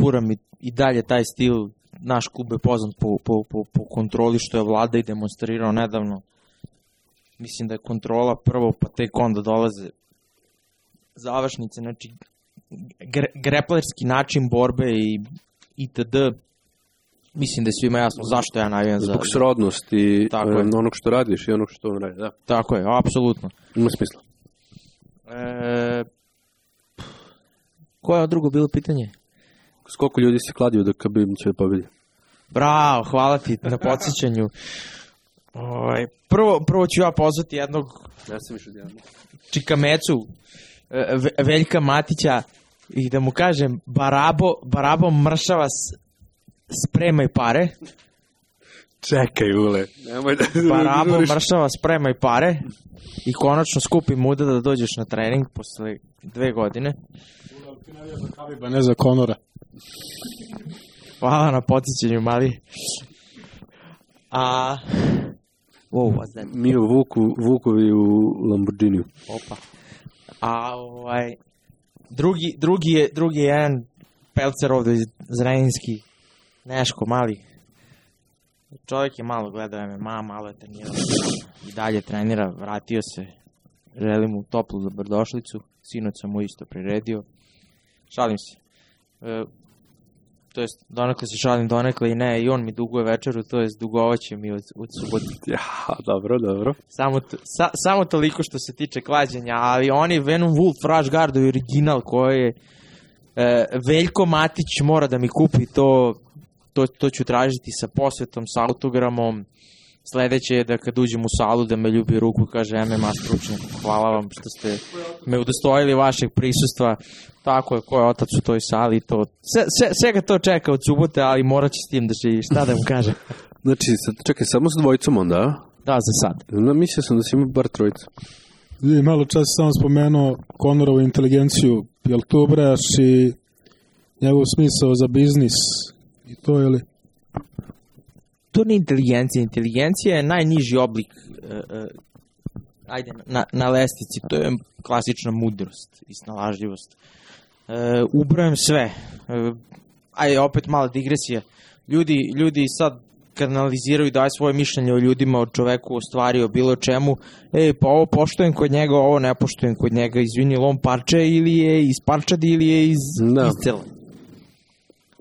furam i dalje taj stil, naš klub je poznat po kontroli što je Vlada i demonstrirao nedavno. Mislim da je kontrola prvo, pa tek onda dolaze završnice, znači greplerski način borbe i itd. Mislim da je svima jasno zašto ja navijam za... Zbog srodnosti onog što radiš i onog što on radi, da. Tako je, apsolutno. Ima smisla. Koje je drugo bilo pitanje? S koliko ljudi se kladio da Khabib će da pobedi? Bravo, hvala ti na podsjećanju. Prvo ću ja pozvati jednog Čikamecu, Veljka Matića, i da mu kažem Barabo mršava spremaj pare. Čekaj, Ule. Barabo mršava spremaj pare i konačno skupi muda da dođeš na trening posle 2 godine. Ti navijaš za Khabiba, ne za Conora. Hvala na podsjećanju, mali. What's that? Mi u Vukovi u Lamborghiniju. Opa. Drugi je jedan pelcer ovde Zrenjinski, Neško, mali. Čovjek je malo gledao MMA, malo je trenirao i dalje trenira, vratio se. Želim mu toplu dobrodošlicu, sinoć sam mu isto priredio. Šalim se. To jest, donekle se šalim, donekle i ne, i on mi duguje večeru, to jest dugovaće mi od subote. Ja, dobro. Samo toliko što se tiče klađenja, ali oni Venom Wolf Rush Guard je original koji je Veljko Matić mora da mi kupi to ću tražiti sa posvetom, sa autogramom. Sledeće je da kad uđem u salu da me ljubi ruku, kaže MMA stručnjak, hvala vam što ste me udostojili vašeg prisustva. Tako je, ko je otac u toj sali, to svega to čeka od subote, ali morat će s tim da živi, šta da mu kaže. Znači, čekaj, samo sa dvojicom onda, a? Da, za sad. Mislio sam da si ima bar trojica. Malo čas sam spomenuo Conorovu inteligenciju, jel to ubrajaš i njegov smisao za biznis i to, je li? To nije inteligencija. Inteligencija je najniži oblik na lestvici. To je klasična mudrost i snalažljivost. Ubrajam sve. Opet mala digresija. Ljudi sad kad analiziraju i daju svoje mišljenje o ljudima, o čoveku, o stvari, o bilo čemu, pa ovo poštujem kod njega, ovo ne poštujem kod njega, izvini, on parče ili je iz parčadi ili je iz cela.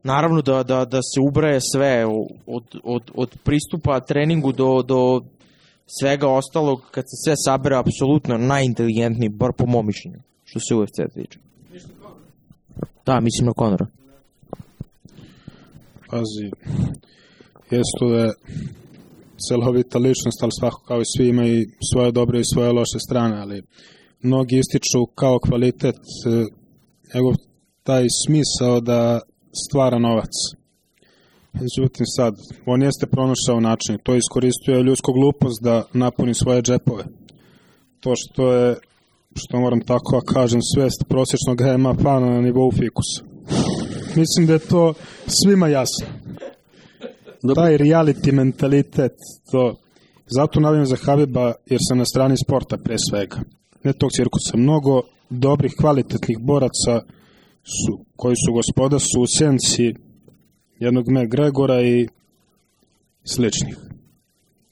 Naravno da se ubraje sve od pristupa treningu do svega ostalog, kad se sve sabere, apsolutno najinteligentniji, bar po mom mišljenju, što se UFC tiče. Da, mislim na Conora. Pazi, jesu da je celovita ličnost, ali svako kao i svi ima i svoje dobre i svoje loše strane, ali mnogi ističu kao kvalitet njegov taj smisao da stvara novac. Međutim sad, on jeste pronašao način, to iskoristio ljudsku glupost da napuni svoje džepove. To što moram tako kažem, svest prosječnog MMA fana na nivou fikusa. Mislim da je to svima jasno. Taj reality mentalitet, to. Zato navijam za Khabiba jer sam na strani sporta pre svega. Ne tog cirkusa. Mnogo dobrih, kvalitetnih boraca koji su gospoda su u senci jednog McGregora i sličnih.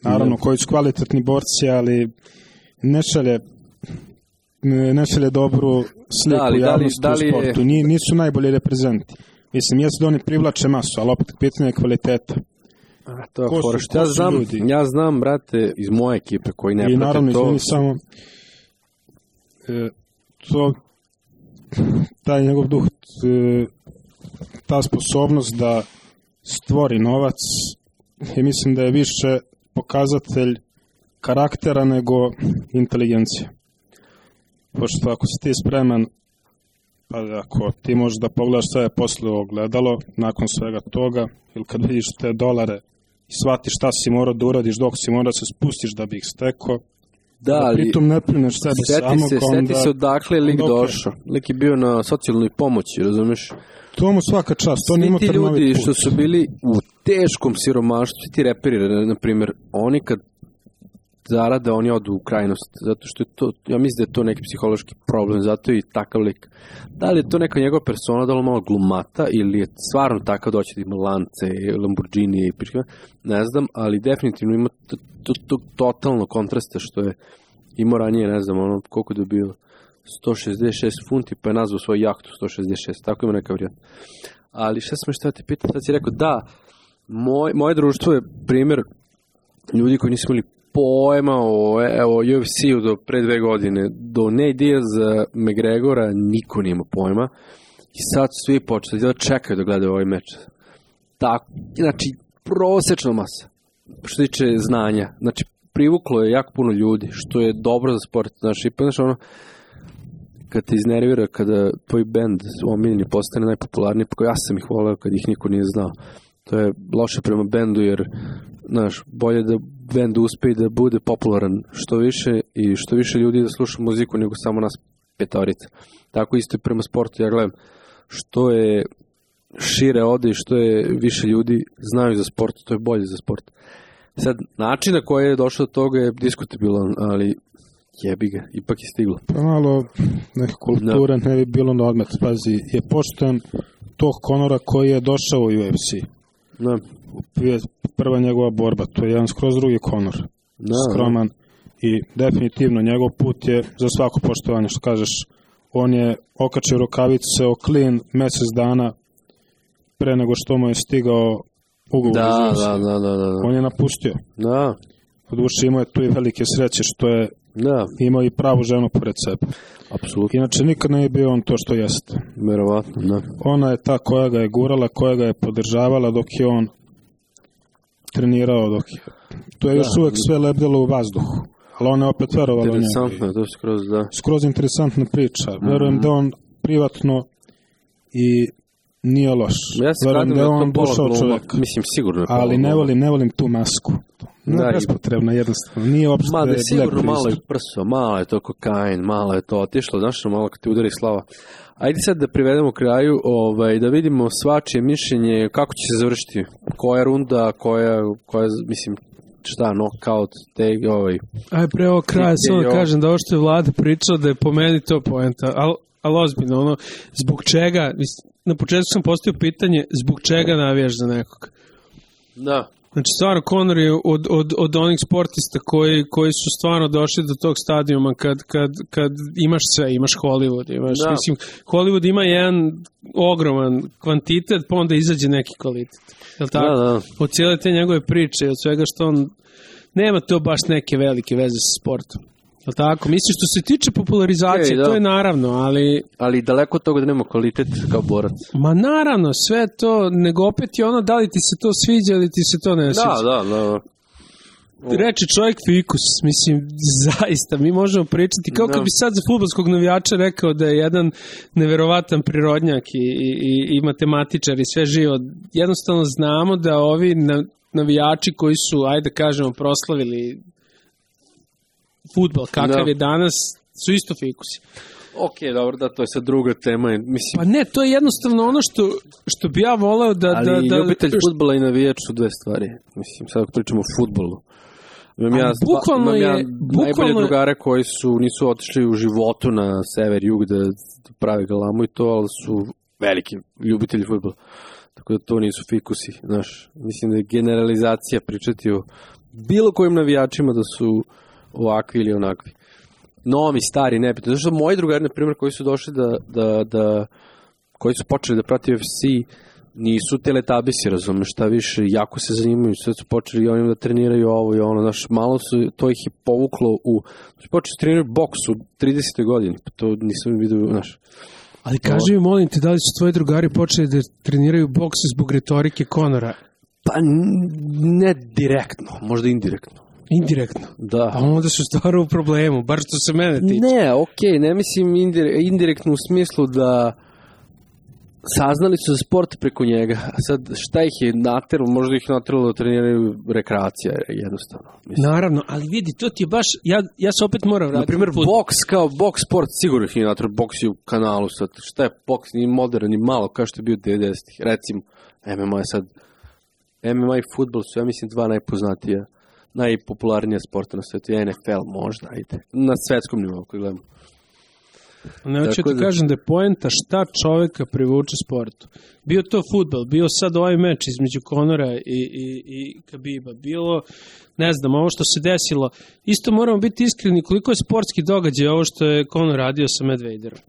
Naravno, koji su kvalitetni borci, ali ne šalje dobru sliku javnosti u sportu. Nisu najbolji reprezenti. Mislim, jesu da oni privlače masu, ali opet pitanje je kvaliteta. To je horoš. Ja znam, brate, iz moje ekipe koji ne prate to. I naravno, izvini samo taj njegov duh, ta sposobnost da stvori novac, i mislim da je više pokazatelj karaktera nego inteligencija. Pošto ako si ti spreman, pa ako ti možeš da pogledaš sve posle ogledalo, nakon svega toga, ili kad vidiš te dolare i shvatiš šta si morao da uradiš, dok si morao da se spustiš da bi ih stekao, da pritom ne prineš sebe samo. Seti se odakle je lik došao. Lik je bio na socijalnoj pomoći, razumiješ? To mu svaka čast, to nima prvi put. Svi ti ljudi što su bili u teškom siromaštvu, svi ti reperi, na primjer, oni kad zarade, oni odu u krajnost, zato što je to, ja mislim da je to neki psihološki problem, zato je i takav lik. Da li je to neka njegova persona, da li malo glumata, ili je stvarno takav doći da ima lance, Lamborghini i priča, ne znam, ali definitivno ima totalno kontrasta što je imao ranije, ne znam, ono, koliko je dobio, 166 funti, pa je nazvao svoju jahtu 166, tako ima neka vrijata. Ali šta te pitam, sad si rekao, da, moje društvo je primjer ljudi koji nisu imali pojma o UFC-u do pre 2 godine, do Nate Diaz McGregora niko nije imao pojma i sad svi počeli da čekaju da gledaju ovaj meč. Tako, znači, prosečna masa, što tiče znanja, znači, privuklo je jako puno ljudi, što je dobro za sport, znači, ono, kad te iznervira, kada tvoj bend omiljeni postane najpopularniji, pa ja sam ih voleo kad ih niko nije znao. To je loše prema bendu, jer znaš, bolje da bend uspe i da bude popularan što više i što više ljudi da sluša muziku nego samo nas petorica. Tako isto i prema sportu, ja gledam, što je šire ode i što je više ljudi znaju za sport, to je bolje za sport. Sad, način na koji je došao do toga je diskutabilan, ali jebi ga, ipak je stiglo. Pa malo neka kultura ne bi bilo na odmet. Pazi, je pošten tog Conora koji je došao u UFC. Da. Prva njegova borba, to je jedan skroz drugi Conor. Skroman. I definitivno njegov put je za svako poštovanje, što kažeš. On je okačio rukavice o klin mesec dana pre nego što mu je stigao ugovor. Da. On je napustio. Da. Odvuši imao je tu i velike sreće što je imao i pravu ženu pored sebe. Apsolutno. Inače nikad ne je bio on to što jeste. Verovatno, da. Ona je ta koja ga je gurala, koja ga je podržavala dok je on trenirao, to je još uvek sve lebdelo u vazduhu. Ali ona je opet verovala u njegu. Interesantno, to je skroz, da. Skroz interesantna priča. Verujem da on privatno i nije loš. Ja se verujem da je on došao čovjek. Mislim, sigurno je ali ne volim tu masku. Bespotrebna, jednostavno. Nije uopšte da je sigurno malo je prso, malo je to kokain, malo je to otišlo, znaš, malo kad ti udari slava. Ajde sad da privedemo kraju, da vidimo svačije mišljenje, kako će se završiti, koja runda, koja mislim, šta, knockout, Aj, pre ovog kraja samo da kažem da ovo što je Vlada pričao, da je po meni to poenta, ali ozbiljno, zbog čega, na početku sam postavio pitanje, zbog čega navijaš za nekog? Da. Znači, stvarno, Conor je od onih sportista koji su stvarno došli do tog stadijuma kad imaš sve, imaš Hollywood, mislim, Hollywood ima jedan ogroman kvantitet, pa onda izađe neki kvalitet. Je li tako? Da. Od cijele te njegove priče, od svega što on, nema to baš neke velike veze sa sportom. Je li tako? Mislim, što se tiče popularizacije, to je naravno, ali daleko od toga da nema kvalitet kao borac. Ma naravno, sve to, nego opet je ono, da li ti se to sviđa ili ti se to ne sviđa. Da. Reče čovjek fikus, mislim, zaista, mi možemo pričati, kao kad bi sad za fudbalskog navijača rekao da je jedan neverovatan prirodnjak i matematičar i sve živo. Jednostavno znamo da ovi navijači koji su, ajde kažemo, proslavili fudbal kakav je danas, su isto fikusi. Ok, dobro, da, to je sad druga tema. Mislim. Pa ne, to je jednostavno ono što bi ja voleo da... Ali ljubitelj fudbala i navijač su dve stvari. Mislim, sad ako pričamo o fudbalu. Imam najbolje drugare koji nisu otišli u životu na sever, jug da prave galamu i to, ali su veliki ljubitelji fudbala. Tako da to nisu fikusi, znaš. Mislim da je generalizacija pričati o bilo kojim navijačima da su ovakvi ili onakvi. Novi, stari, nebitno. Zato što moji drugari, na primjer, koji su došli koji su počeli da prati UFC, nisu teletabisi, razumeš, šta više, jako se zanimaju, sve su počeli i onim da treniraju ovo i ono, znaš, malo su, to ih je povuklo počeli da treniraju boks u 30. godini, pa to nisam vidio, znaš. Ali kaži mi, molim te, da li su tvoji drugari počeli da treniraju boks zbog retorike Conora? Pa ne direktno, možda indirektno. Indirektno? Da. A onda su stvarno u problemu, bar što se mene tiče. Ne, okej, ne mislim indirektno u smislu da saznali su za sport preko njega. A sad, šta ih je nateralo? Možda ih nateralo da treniraju rekreacija, jednostavno. Mislim. Naravno, ali vidi, to ti je baš, ja se opet moram vratiti. Naprimjer, boks kao boks sport, sigurno ih je nateralo, boks je u kanalu sad. Šta je boks, ni modern, ni malo, kao što je bio 90-ih. Recimo, MMA je sad, MMA i fudbal su, ja mislim, dva najpoznatija, najpopularnija sporta na svijetu, NFL možda, ajde, na svetskom nivou koji gledamo. Neću ti kažem da je poenta šta čovjeka privuče sportu. Bio to fudbal, bio sad ovaj meč između Conora i Khabiba, bilo, ne znam, ovo što se desilo, isto moramo biti iskreni koliko je sportski događaj ovo što je Conor radio sa Medvederom.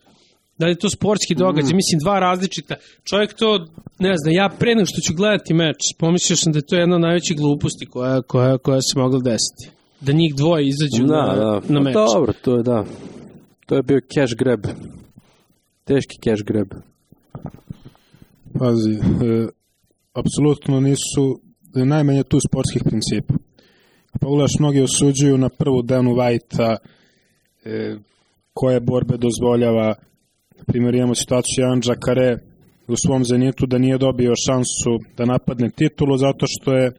Da li je to sportski događaj? Mislim, dva različita. Čovjek to, ne znam, ja pre nego što ću gledati meč, pomislio sam da je to jedna od najvećih gluposti koja se mogla desiti. Da njih dvoje izađu na meč. Dobro, to je da. To je bio cash grab. Teški cash grab. Pazi, apsolutno nisu, najmanje tu sportskih principa. Pogledaš, mnogi osuđuju na prvu Danu Whitea, koje borbe dozvoljava. Na primjer, imamo situaciju Jan Jacare u svom Zenitu da nije dobio šansu da napadne titulu zato što je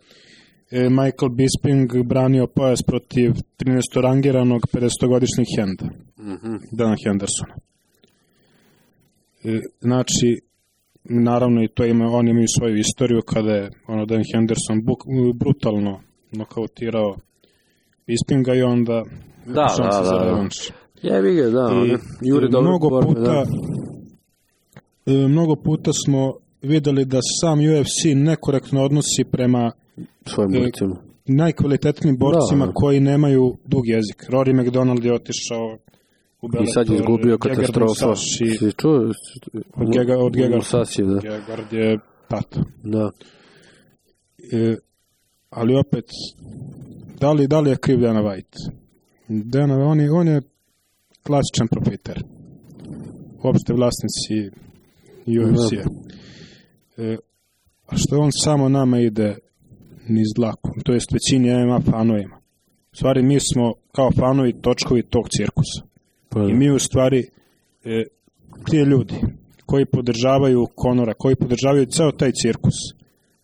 Michael Bisping branio pojas protiv 13. rangiranog 50-godišnjeg Henda, Dana Hendersona. Znači, naravno i to oni imaju svoju istoriju kada je Dan Henderson brutalno nokautirao Bispinga i onda šanse za revanš. Jebi ga, da. Mnogo puta smo videli da sam UFC nekorektno odnosi prema svojim borcima. Najkvalitetnijim borcima koji nemaju dug jezik. Rory McDonald je otišao u Bellator. I sad je izgubio katastrofa. Od Gegard je tata. Da. Ali opet, da li je kriv Dana White? On je klasičan profiter. Uopšte vlasnici UFC-a. A što on samo nama ide niz dlaku, to jest većini MMA fanovima. U stvari mi smo kao fanovi točkovi tog cirkusa. I mi u stvari ti ljudi koji podržavaju Conora, koji podržavaju ceo taj cirkus,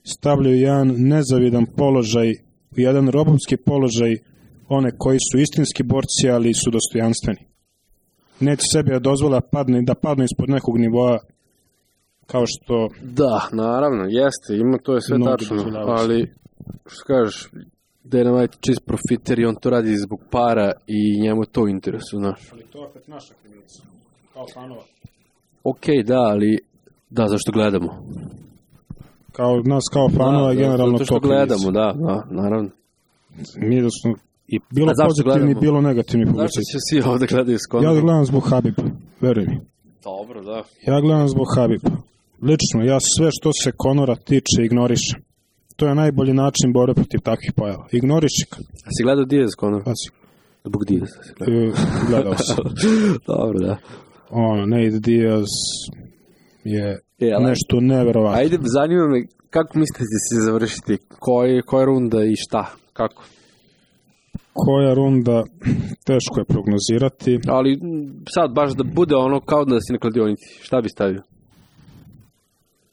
stavljaju jedan nezavidan položaj, jedan robovski položaj one koji su istinski borci, ali su dostojanstveni. Neće sebi da dozvola da padne ispod nekog nivoa kao što... Da, naravno, jeste, ima, to je sve tačno, ali što kažeš, Dana White čist profiter i on to radi zbog para i njemu to u interesu, znaš. Ali to je opet naša krivica, kao fanova. Okej, da, ali da, zašto gledamo? Nas kao fanova generalno to krivica. Gledamo, da, naravno. Mi da smo i bilo pozitivni, bilo negativni publici. Zašto će svi ovdje gledaju s Conorom? Ja gledam zbog Habiba, veruj mi. Dobro, da. Ja gledam zbog Habiba. Lično, ja sve što se Conora tiče ignorišem. To je najbolji način borbe protiv takvih pojava. Ignoriši ga. A si gledao Diaz Conor? Zbog Diaz. Gledao sam. Dobro, da. Nate Diaz je nešto neverovatno. Ajde, zanima me, kako mislite da se završiti? Koja runda i šta? Kako? Koja runda, teško je prognozirati. Ali sad baš da bude ono kao da si na kladionici. Šta bi stavio?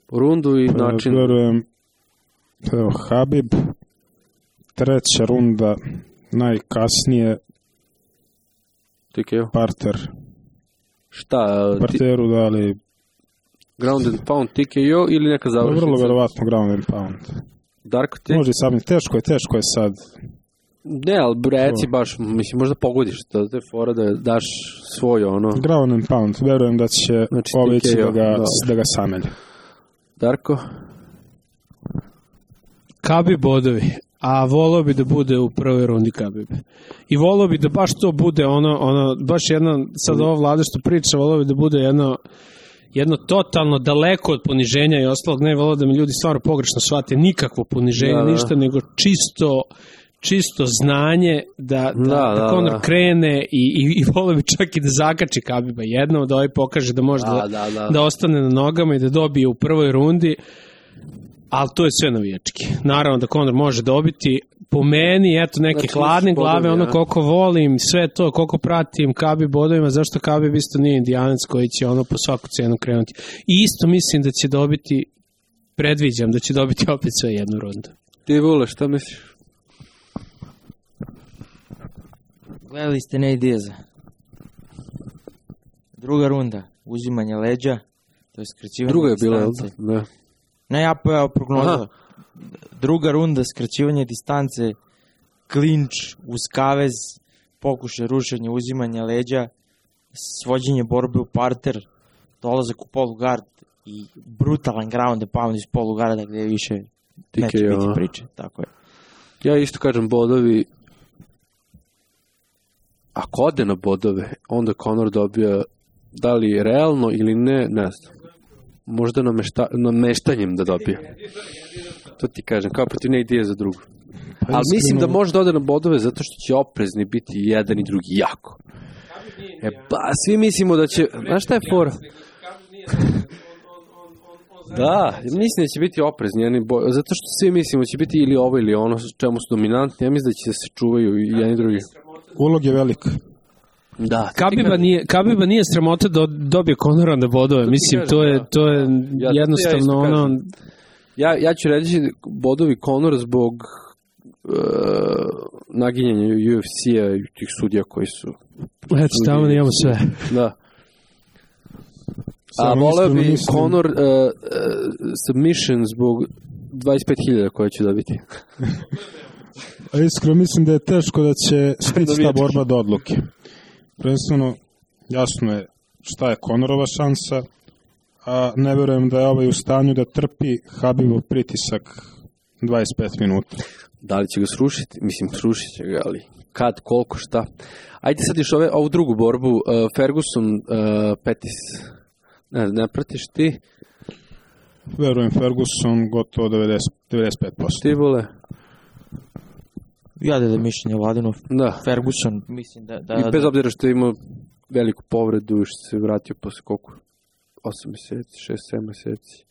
Rundu i način... Verujem, Habib, treća runda, najkasnije, TKO. parter. Šta? Parteru dali... Ground and pound, TKO ili neka završnica? Vrlo verovatno ground and pound. Darko ti? Može sam, teško je sad. Ne, ali reci baš, mislim, možda pogodiš to, te fora da daš svoj ono... Ground and pound, verujem da će ići da ga samelje. Darko? Khabib bodovi, a volao bi da bude u prvoj rundi Khabib. I volao bi da baš to bude baš jedna, sad ova Vlada što priča, volao bi da bude jedno totalno daleko od poniženja i ostalog, ne volao da mi ljudi stvarno pogrešno shvate nikakvo poniženje, ništa, nego čisto znanje da Conor krene i volio bi čak i da zakači Khabiba jednom, da pokaže da može da ostane na nogama i da dobije u prvoj rundi, ali to je sve navijački. Naravno da Conor može dobiti, po meni, eto, neke hladne glave, koliko volim, sve to, koliko pratim Khabib bodovima, zašto Khabib isto nije Indijanac koji će po svaku cenu krenuti. I isto mislim da će dobiti, predviđam da će dobiti opet sve jednu rundu. Ti Vule, šta misliš? Gledali ste Nate Diaza. Druga runda, uzimanje leđa, to je skraćivanje distance. Druga je bila, da. Ne, ja prognoza. Druga runda, skraćivanje distance, klinč uz kavez, pokušaj rušenja, uzimanja leđa, svođenje borbe u parter, dolazak u polugard i brutalan ground and pound iz polugarda gde više neće biti priče. Tako je. Ja isto kažem bodovi. Ako ode na bodove, onda Conor dobija da li realno ili ne znam. Možda nameštanjem da dobije. To ti kažem, kao protiv ne ideje za drugu. Ali mislim da može da ode na bodove zato što će oprezni biti jedan i drugi jako. Svi mislimo da će... Znaš šta je fora? Da, mislim da će biti oprezni, zato što svi mislimo da će biti ili ovo ili ono čemu su dominantni. Ja mislim da će se čuvaju i jedan i drugi. Ulog je velik. Da. Kabiba nije sramota da dobije Conora na bodove. Mislim, to je jednostavno ono... Ja ću reći bodovi Conor zbog naginjanja UFC-a i tih sudija koji su... Eto, tamo imamo sve. Da. A voleo bi Conor submission zbog 25.000 koje će dobiti. A iskreno mislim da je teško da će stići ta borba do odluke. Prvenstveno, jasno je šta je Conorova šansa, a ne verujem da je ovaj u stanju da trpi Habibov pritisak 25 minuta. Da li će ga srušiti? Mislim, srušit će ga, ali kad, koliko, šta. Ajde sad još ovu drugu borbu, Ferguson, Pettis. Ne pratiš ti? Verujem Ferguson gotovo 95%. Ti vole? Ja da mišljenje Vladinov. Da. Ferguson, mislim da... I bez obzira što je imao veliku povredu i što se vratio posle koliko? 8 meseci, 6-7 meseci.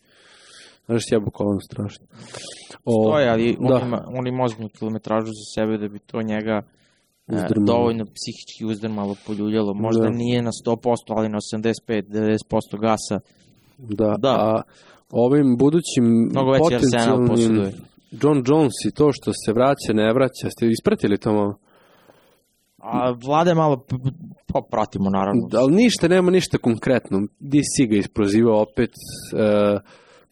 Znaš, sjebo kolano strašno. Stoje, ali on ima ozbiljnu kilometražu za sebe da bi to njega dovoljno psihički uzdrmalo, poljuljalo. Možda nije na 100%, ali na 85-90% gasa. Da. A ovim budućim potencijalnim John Jones i to što se vraća, ne vraća, ste ispratili to malo? A Vlade malo pratimo, naravno. Ali nema ništa konkretno. DC ga isprozivao opet,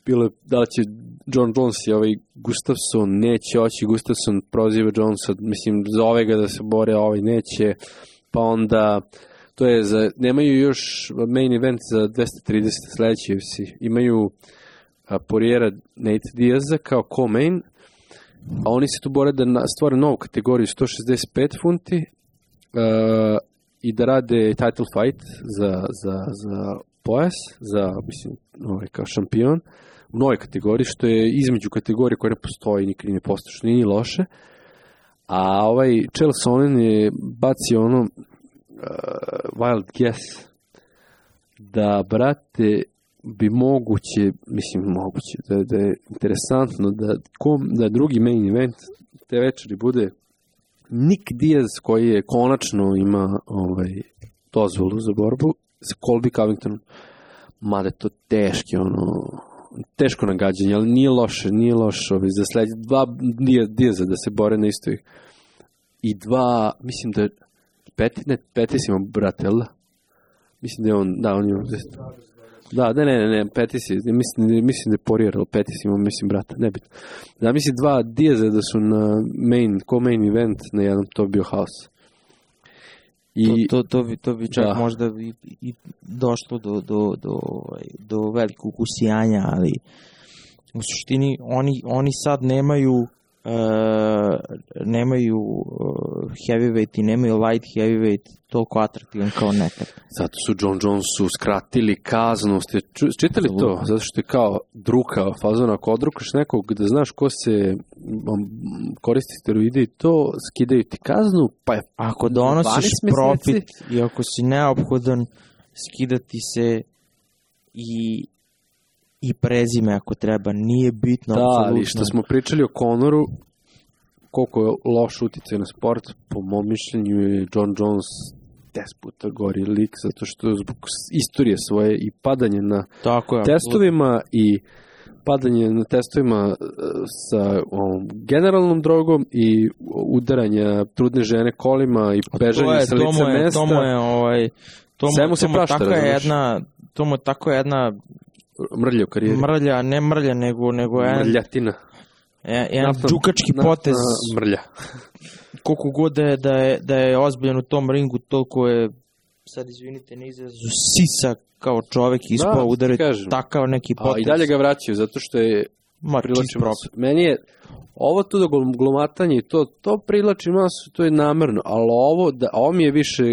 bilo je da li će John Jones i ovaj Gustafsson, neće oći, Gustafsson proziva Jonesa, mislim, zove ga da se bore, ovaj neće, pa onda to je nemaju još main event za 230 sledeći UFC, imaju Poiriera Nate Diaza kao co-main, a oni se tu bore da stvore novu kategoriju 165 funti i da rade title fight za pojas, za, mislim, kao šampion u novoj kategoriji, što je između kategorije koja ne postoji, nikad ne postoji, što nije loše. A ovaj Chael Sonnen je bacio ono wild guess da, brate, bi moguće, da je interesantno da drugi main event te večeri bude Nick Diaz, koji je konačno ima dozvolu za borbu sa Colby Covingtonom. Mada je to teško nagađanje, ali nije loše za sledeće dva Diaza da se bore na istoj. I dva, mislim da je Pettis ima brate, jel da? Mislim da je on ima ne, Pettis je, mislim da je Poirier, ali Pettis ima, mislim, brata, nebitno. Da, mislim, dva Diaza da su na main event na jednom, to bio haos. To bi čak možda i došlo do velikog usijanja, ali u suštini oni sad nemaju heavyweight i nemaju light heavyweight toliko atraktivan kao nekad. Zato su John Jonesu skratili kaznu. Ste čitali to? Zato što je kao druka fazona. Ako odrukaš nekog da znaš ko se koristi steroide i to, skidaju ti kaznu, pa je ako donosiš profit i ako si neophodan, skidati se i prezime ako treba. Nije bitno. Da, ali što smo pričali o Conoru, koliko je loš uticaj na sport, po mom mišljenju je John Jones 10 puta gori lik, zato što zbog istorije svoje i padanje na testovima i padanje na testovima sa generalnom drogom i udaranja trudne žene kolima i bežanje sa lica mesta. To mu je tako jedna mrlja u karijeri. Ne mrlja, nego mrljatina. Jedan džukački potez. Mrlja. Koliko god da je ozbiljan u tom ringu, toliko je, sad izvinite na izrazu, sisa kao čovek ispao udariti takav neki potez. I dalje ga vraćaju, zato što je privlači masu. Meni je ovo tu da glumatanje i to privlači masu, to je namerno, ali ovo mi je više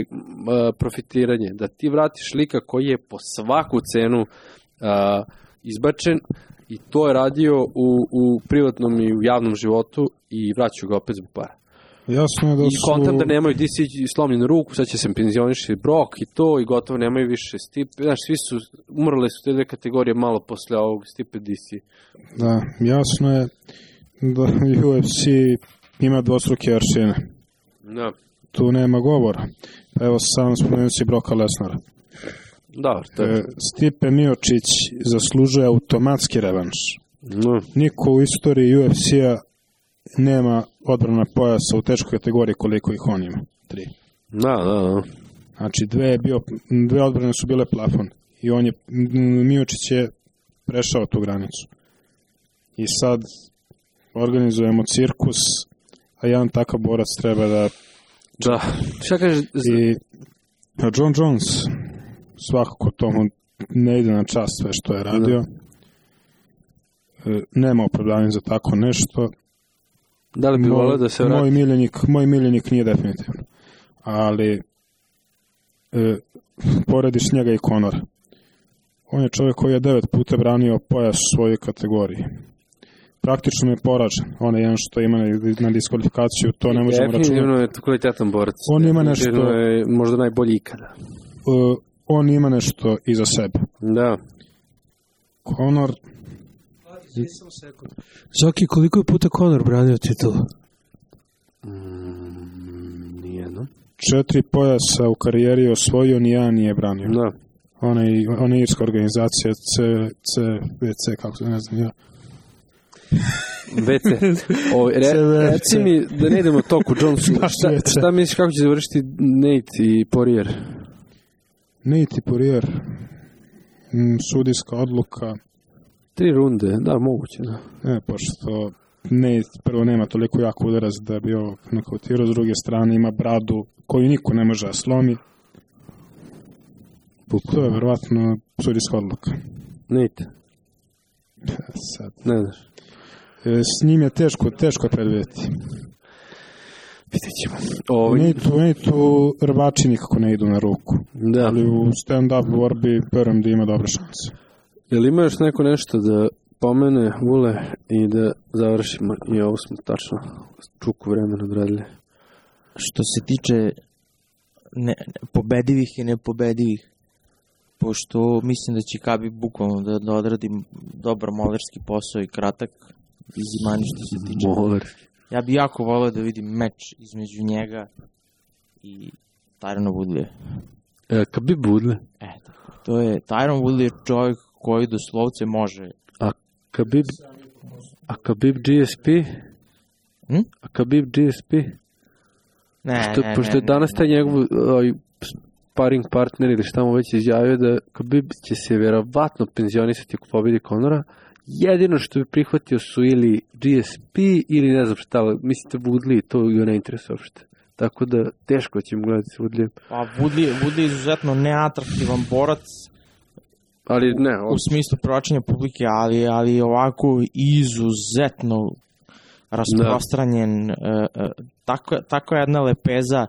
profitiranje, da ti vratiš lika koji je po svaku cenu izbačen i to je radio u privatnom i u javnom životu i vraćaju ga opet zbog para. Jasno je da I kontam da nemaju slomljenu ruku, sad će se penzioniši Brock i to i gotovo nemaju više Stipe. Znaš, svi su, umrle su te dve kategorije malo posle ovog Stipe DC. Da, jasno je da UFC ima dvostruke aršine. Da. tu nema govora. Pa evo sam spomenući Broka Lesnara. Da, to je. Stipe Miocić zaslužuje automatski revanš. No. Niko u istoriji UFC-a nema odbrana pojasa u teškoj kategoriji koliko ih on ima. 3. Da. Znači, dve odbrane su bile plafon. I Miocić je prešao tu granicu. I sad organizujemo cirkus, a jedan takav borac treba da... Da. Šta kaže... I John Jones, svakako tomu ne ide na čast sve što je radio. Nema opravdanja za tako nešto. Da li bi volio da se vrati? Moj miljenik nije definitivno. Ali porediš njega i Conora. On je čovjek koji je 9 puta branio pojas u svojoj kategoriji. Praktično je poražen. On je jedan što ima na diskvalifikaciju, to ne možemo računati. Definitivno je kvalitetan borac. On ima nešto... je možda najbolji ikada. On ima nešto iza sebe. Da. Conor... Zoki, koliko je puta Conor branio titulu? Nijedno. 4 pojasa u karijeri je osvojio, nijedan nije branio. Da. Ona je irska organizacija CVC, kako se ne znam ja. VC. Reci mi da ne idemo toku Jonesu. Šta misliš kako će završiti Nate i Poirier? Nate i Poirier. Sudijska odluka. 3 runde, da, moguće, da. Ne, pošto Nate prvo nema toliko jako udarac da bi ovo nokautirao, s druge strane ima bradu koju niko ne može da slomi. To je verovatno sudijska odluka. Nate. Sad. Ne znaš. S njim je teško predvidjeti. Vidjet ćemo. Nate-u rvači nikako ne idu na ruku. Da. Ali u stand-up borbi verujem da ima dobre šanse. Jel ima još neko nešto da pomene, Vule, i da završimo? I ovo smo tačno čuku vremena odradili. Što se tiče pobedivih i nepobedivih, pošto mislim da će Khabib bukvalno da odradi dobar molerski posao i kratak i zimani što se tiče. Molerski. Ja bih jako volio da vidim meč između njega i Tyrona Woodleya. Khabib Woodley? To je, Tyron Woodley je čovjek koji doslovce može. A Khabib GSP? A Khabib GSP? Ne. Pošto je danas taj njegov sparring partner ili šta mu već izjavio da Khabib će se vjerovatno penzionisati ako pobedi Conora. Jedino što bi prihvatio su ili GSP ili ne znam šta, mislite Woodley, to ga ne interesuje uopšte. Tako da teško će mu gledati s Woodleyem. Pa Woodley je izuzetno neatraktivan borac, ali ne, u smislu privlačenja publike, ali ovako izuzetno rasprostranjen, tako jedna lepeza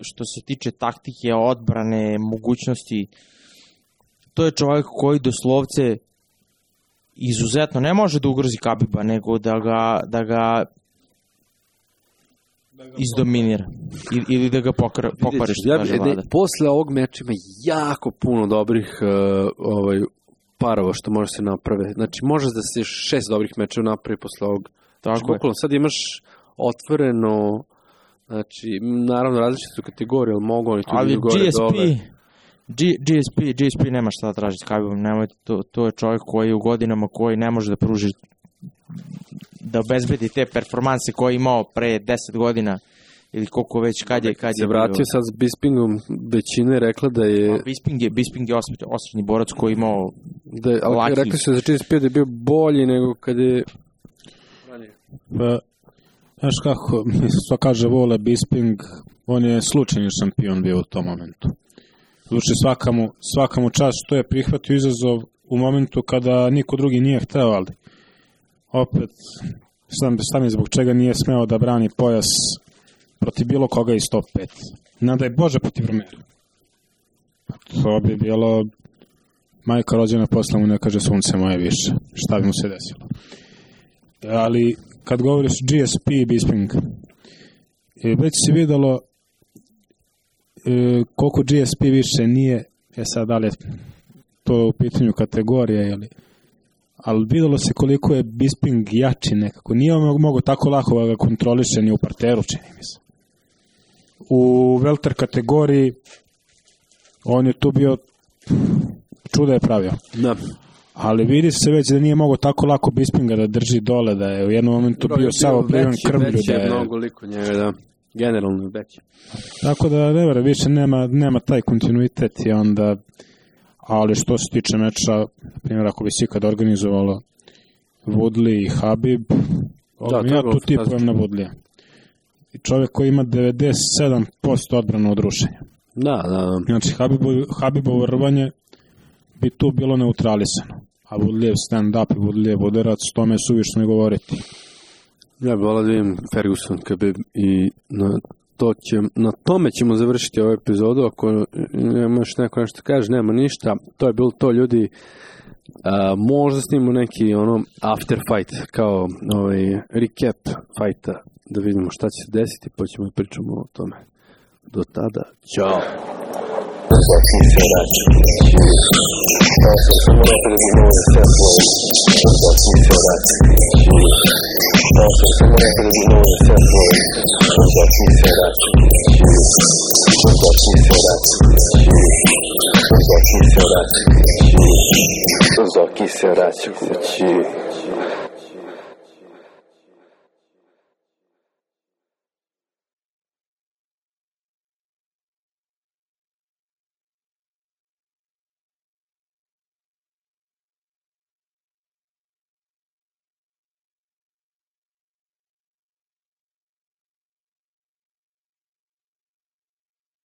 što se tiče taktike, odbrane, mogućnosti. To je čovjek koji doslovce izuzetno ne može da ugrozi Khabiba, nego da ga izdominira ili da ga pokvari, što kaže Vlada. Posle ovog meča ima jako puno dobrih parova što može se naprave. Znači, može da se 6 dobrih mečeva napravi posle ovog. Znači, bukvalno, sad imaš otvoreno, znači, naravno različite su kategorije, ali mogu oni tu ali gore dole. GSP nema šta da traži s Khabibom, nemojte, to je čovjek koji u godinama koji ne može da pruži, da obezbedi te performanse koje je imao pre 10 godina ili koliko već kad je se vratio sad s Bispingom, većina je rekla da je... Bisping je osrednji borac koji je imao ali rekli su da GSP da je bio bolji nego kad je... Pa, znaš kako, što kaže Vole, Bisping, on je slučajni šampion bio u tom momentu. Znači svakamu čast što je prihvatio izazov u momentu kada niko drugi nije hteo, ali opet sam je zbog čega nije smeo da brani pojas protiv bilo koga iz top 5. Nadaj Bože protiv Romera. To bi bilo majka rođena posle mu ne kaže sunce moje više. Šta bi mu se desilo? Ali kad govoriš GSP i Bisping, već si videlo koliko GSP više nije, sad da li je to u pitanju kategorije, ali videlo se koliko je Bisping jači nekako. Nije mogo tako lako da ga kontroliše ni u parteru, čini mi se. u welter kategoriji on je tu bio čuda je pravio. Da. Ali vidi se već da nije mogo tako lako Bispinga da drži dole, da je u jednom momentu bio samo privan krvlju. Veći je mnogo liko njega, da. Generalno veći. Tako da, ne vera, više nema taj kontinuitet i onda, ali što se tiče meča, primjer, ako bi se ikad organizovalo Woodley i Habib, ja tu tipujem na Woodleya. I čovjek koji ima 97% odbranu od rušenja. Da. Znači, Habibovo rvanje bi tu bilo neutralisano. A Woodleyev stand-up i Woodleyev udarac, tome je suvišno ne govoriti. Ja bih volao da vidim Ferguson i na tome ćemo završiti ovu epizodu. Ako nema još neko nešto kaže, nema ništa. To je bilo to, ljudi. Možda snimimo neki after fight, kao recap fighta, da vidimo šta će se desiti, pa ćemo pričamo o tome. Do tada, ćao. Zoki se vraća kući.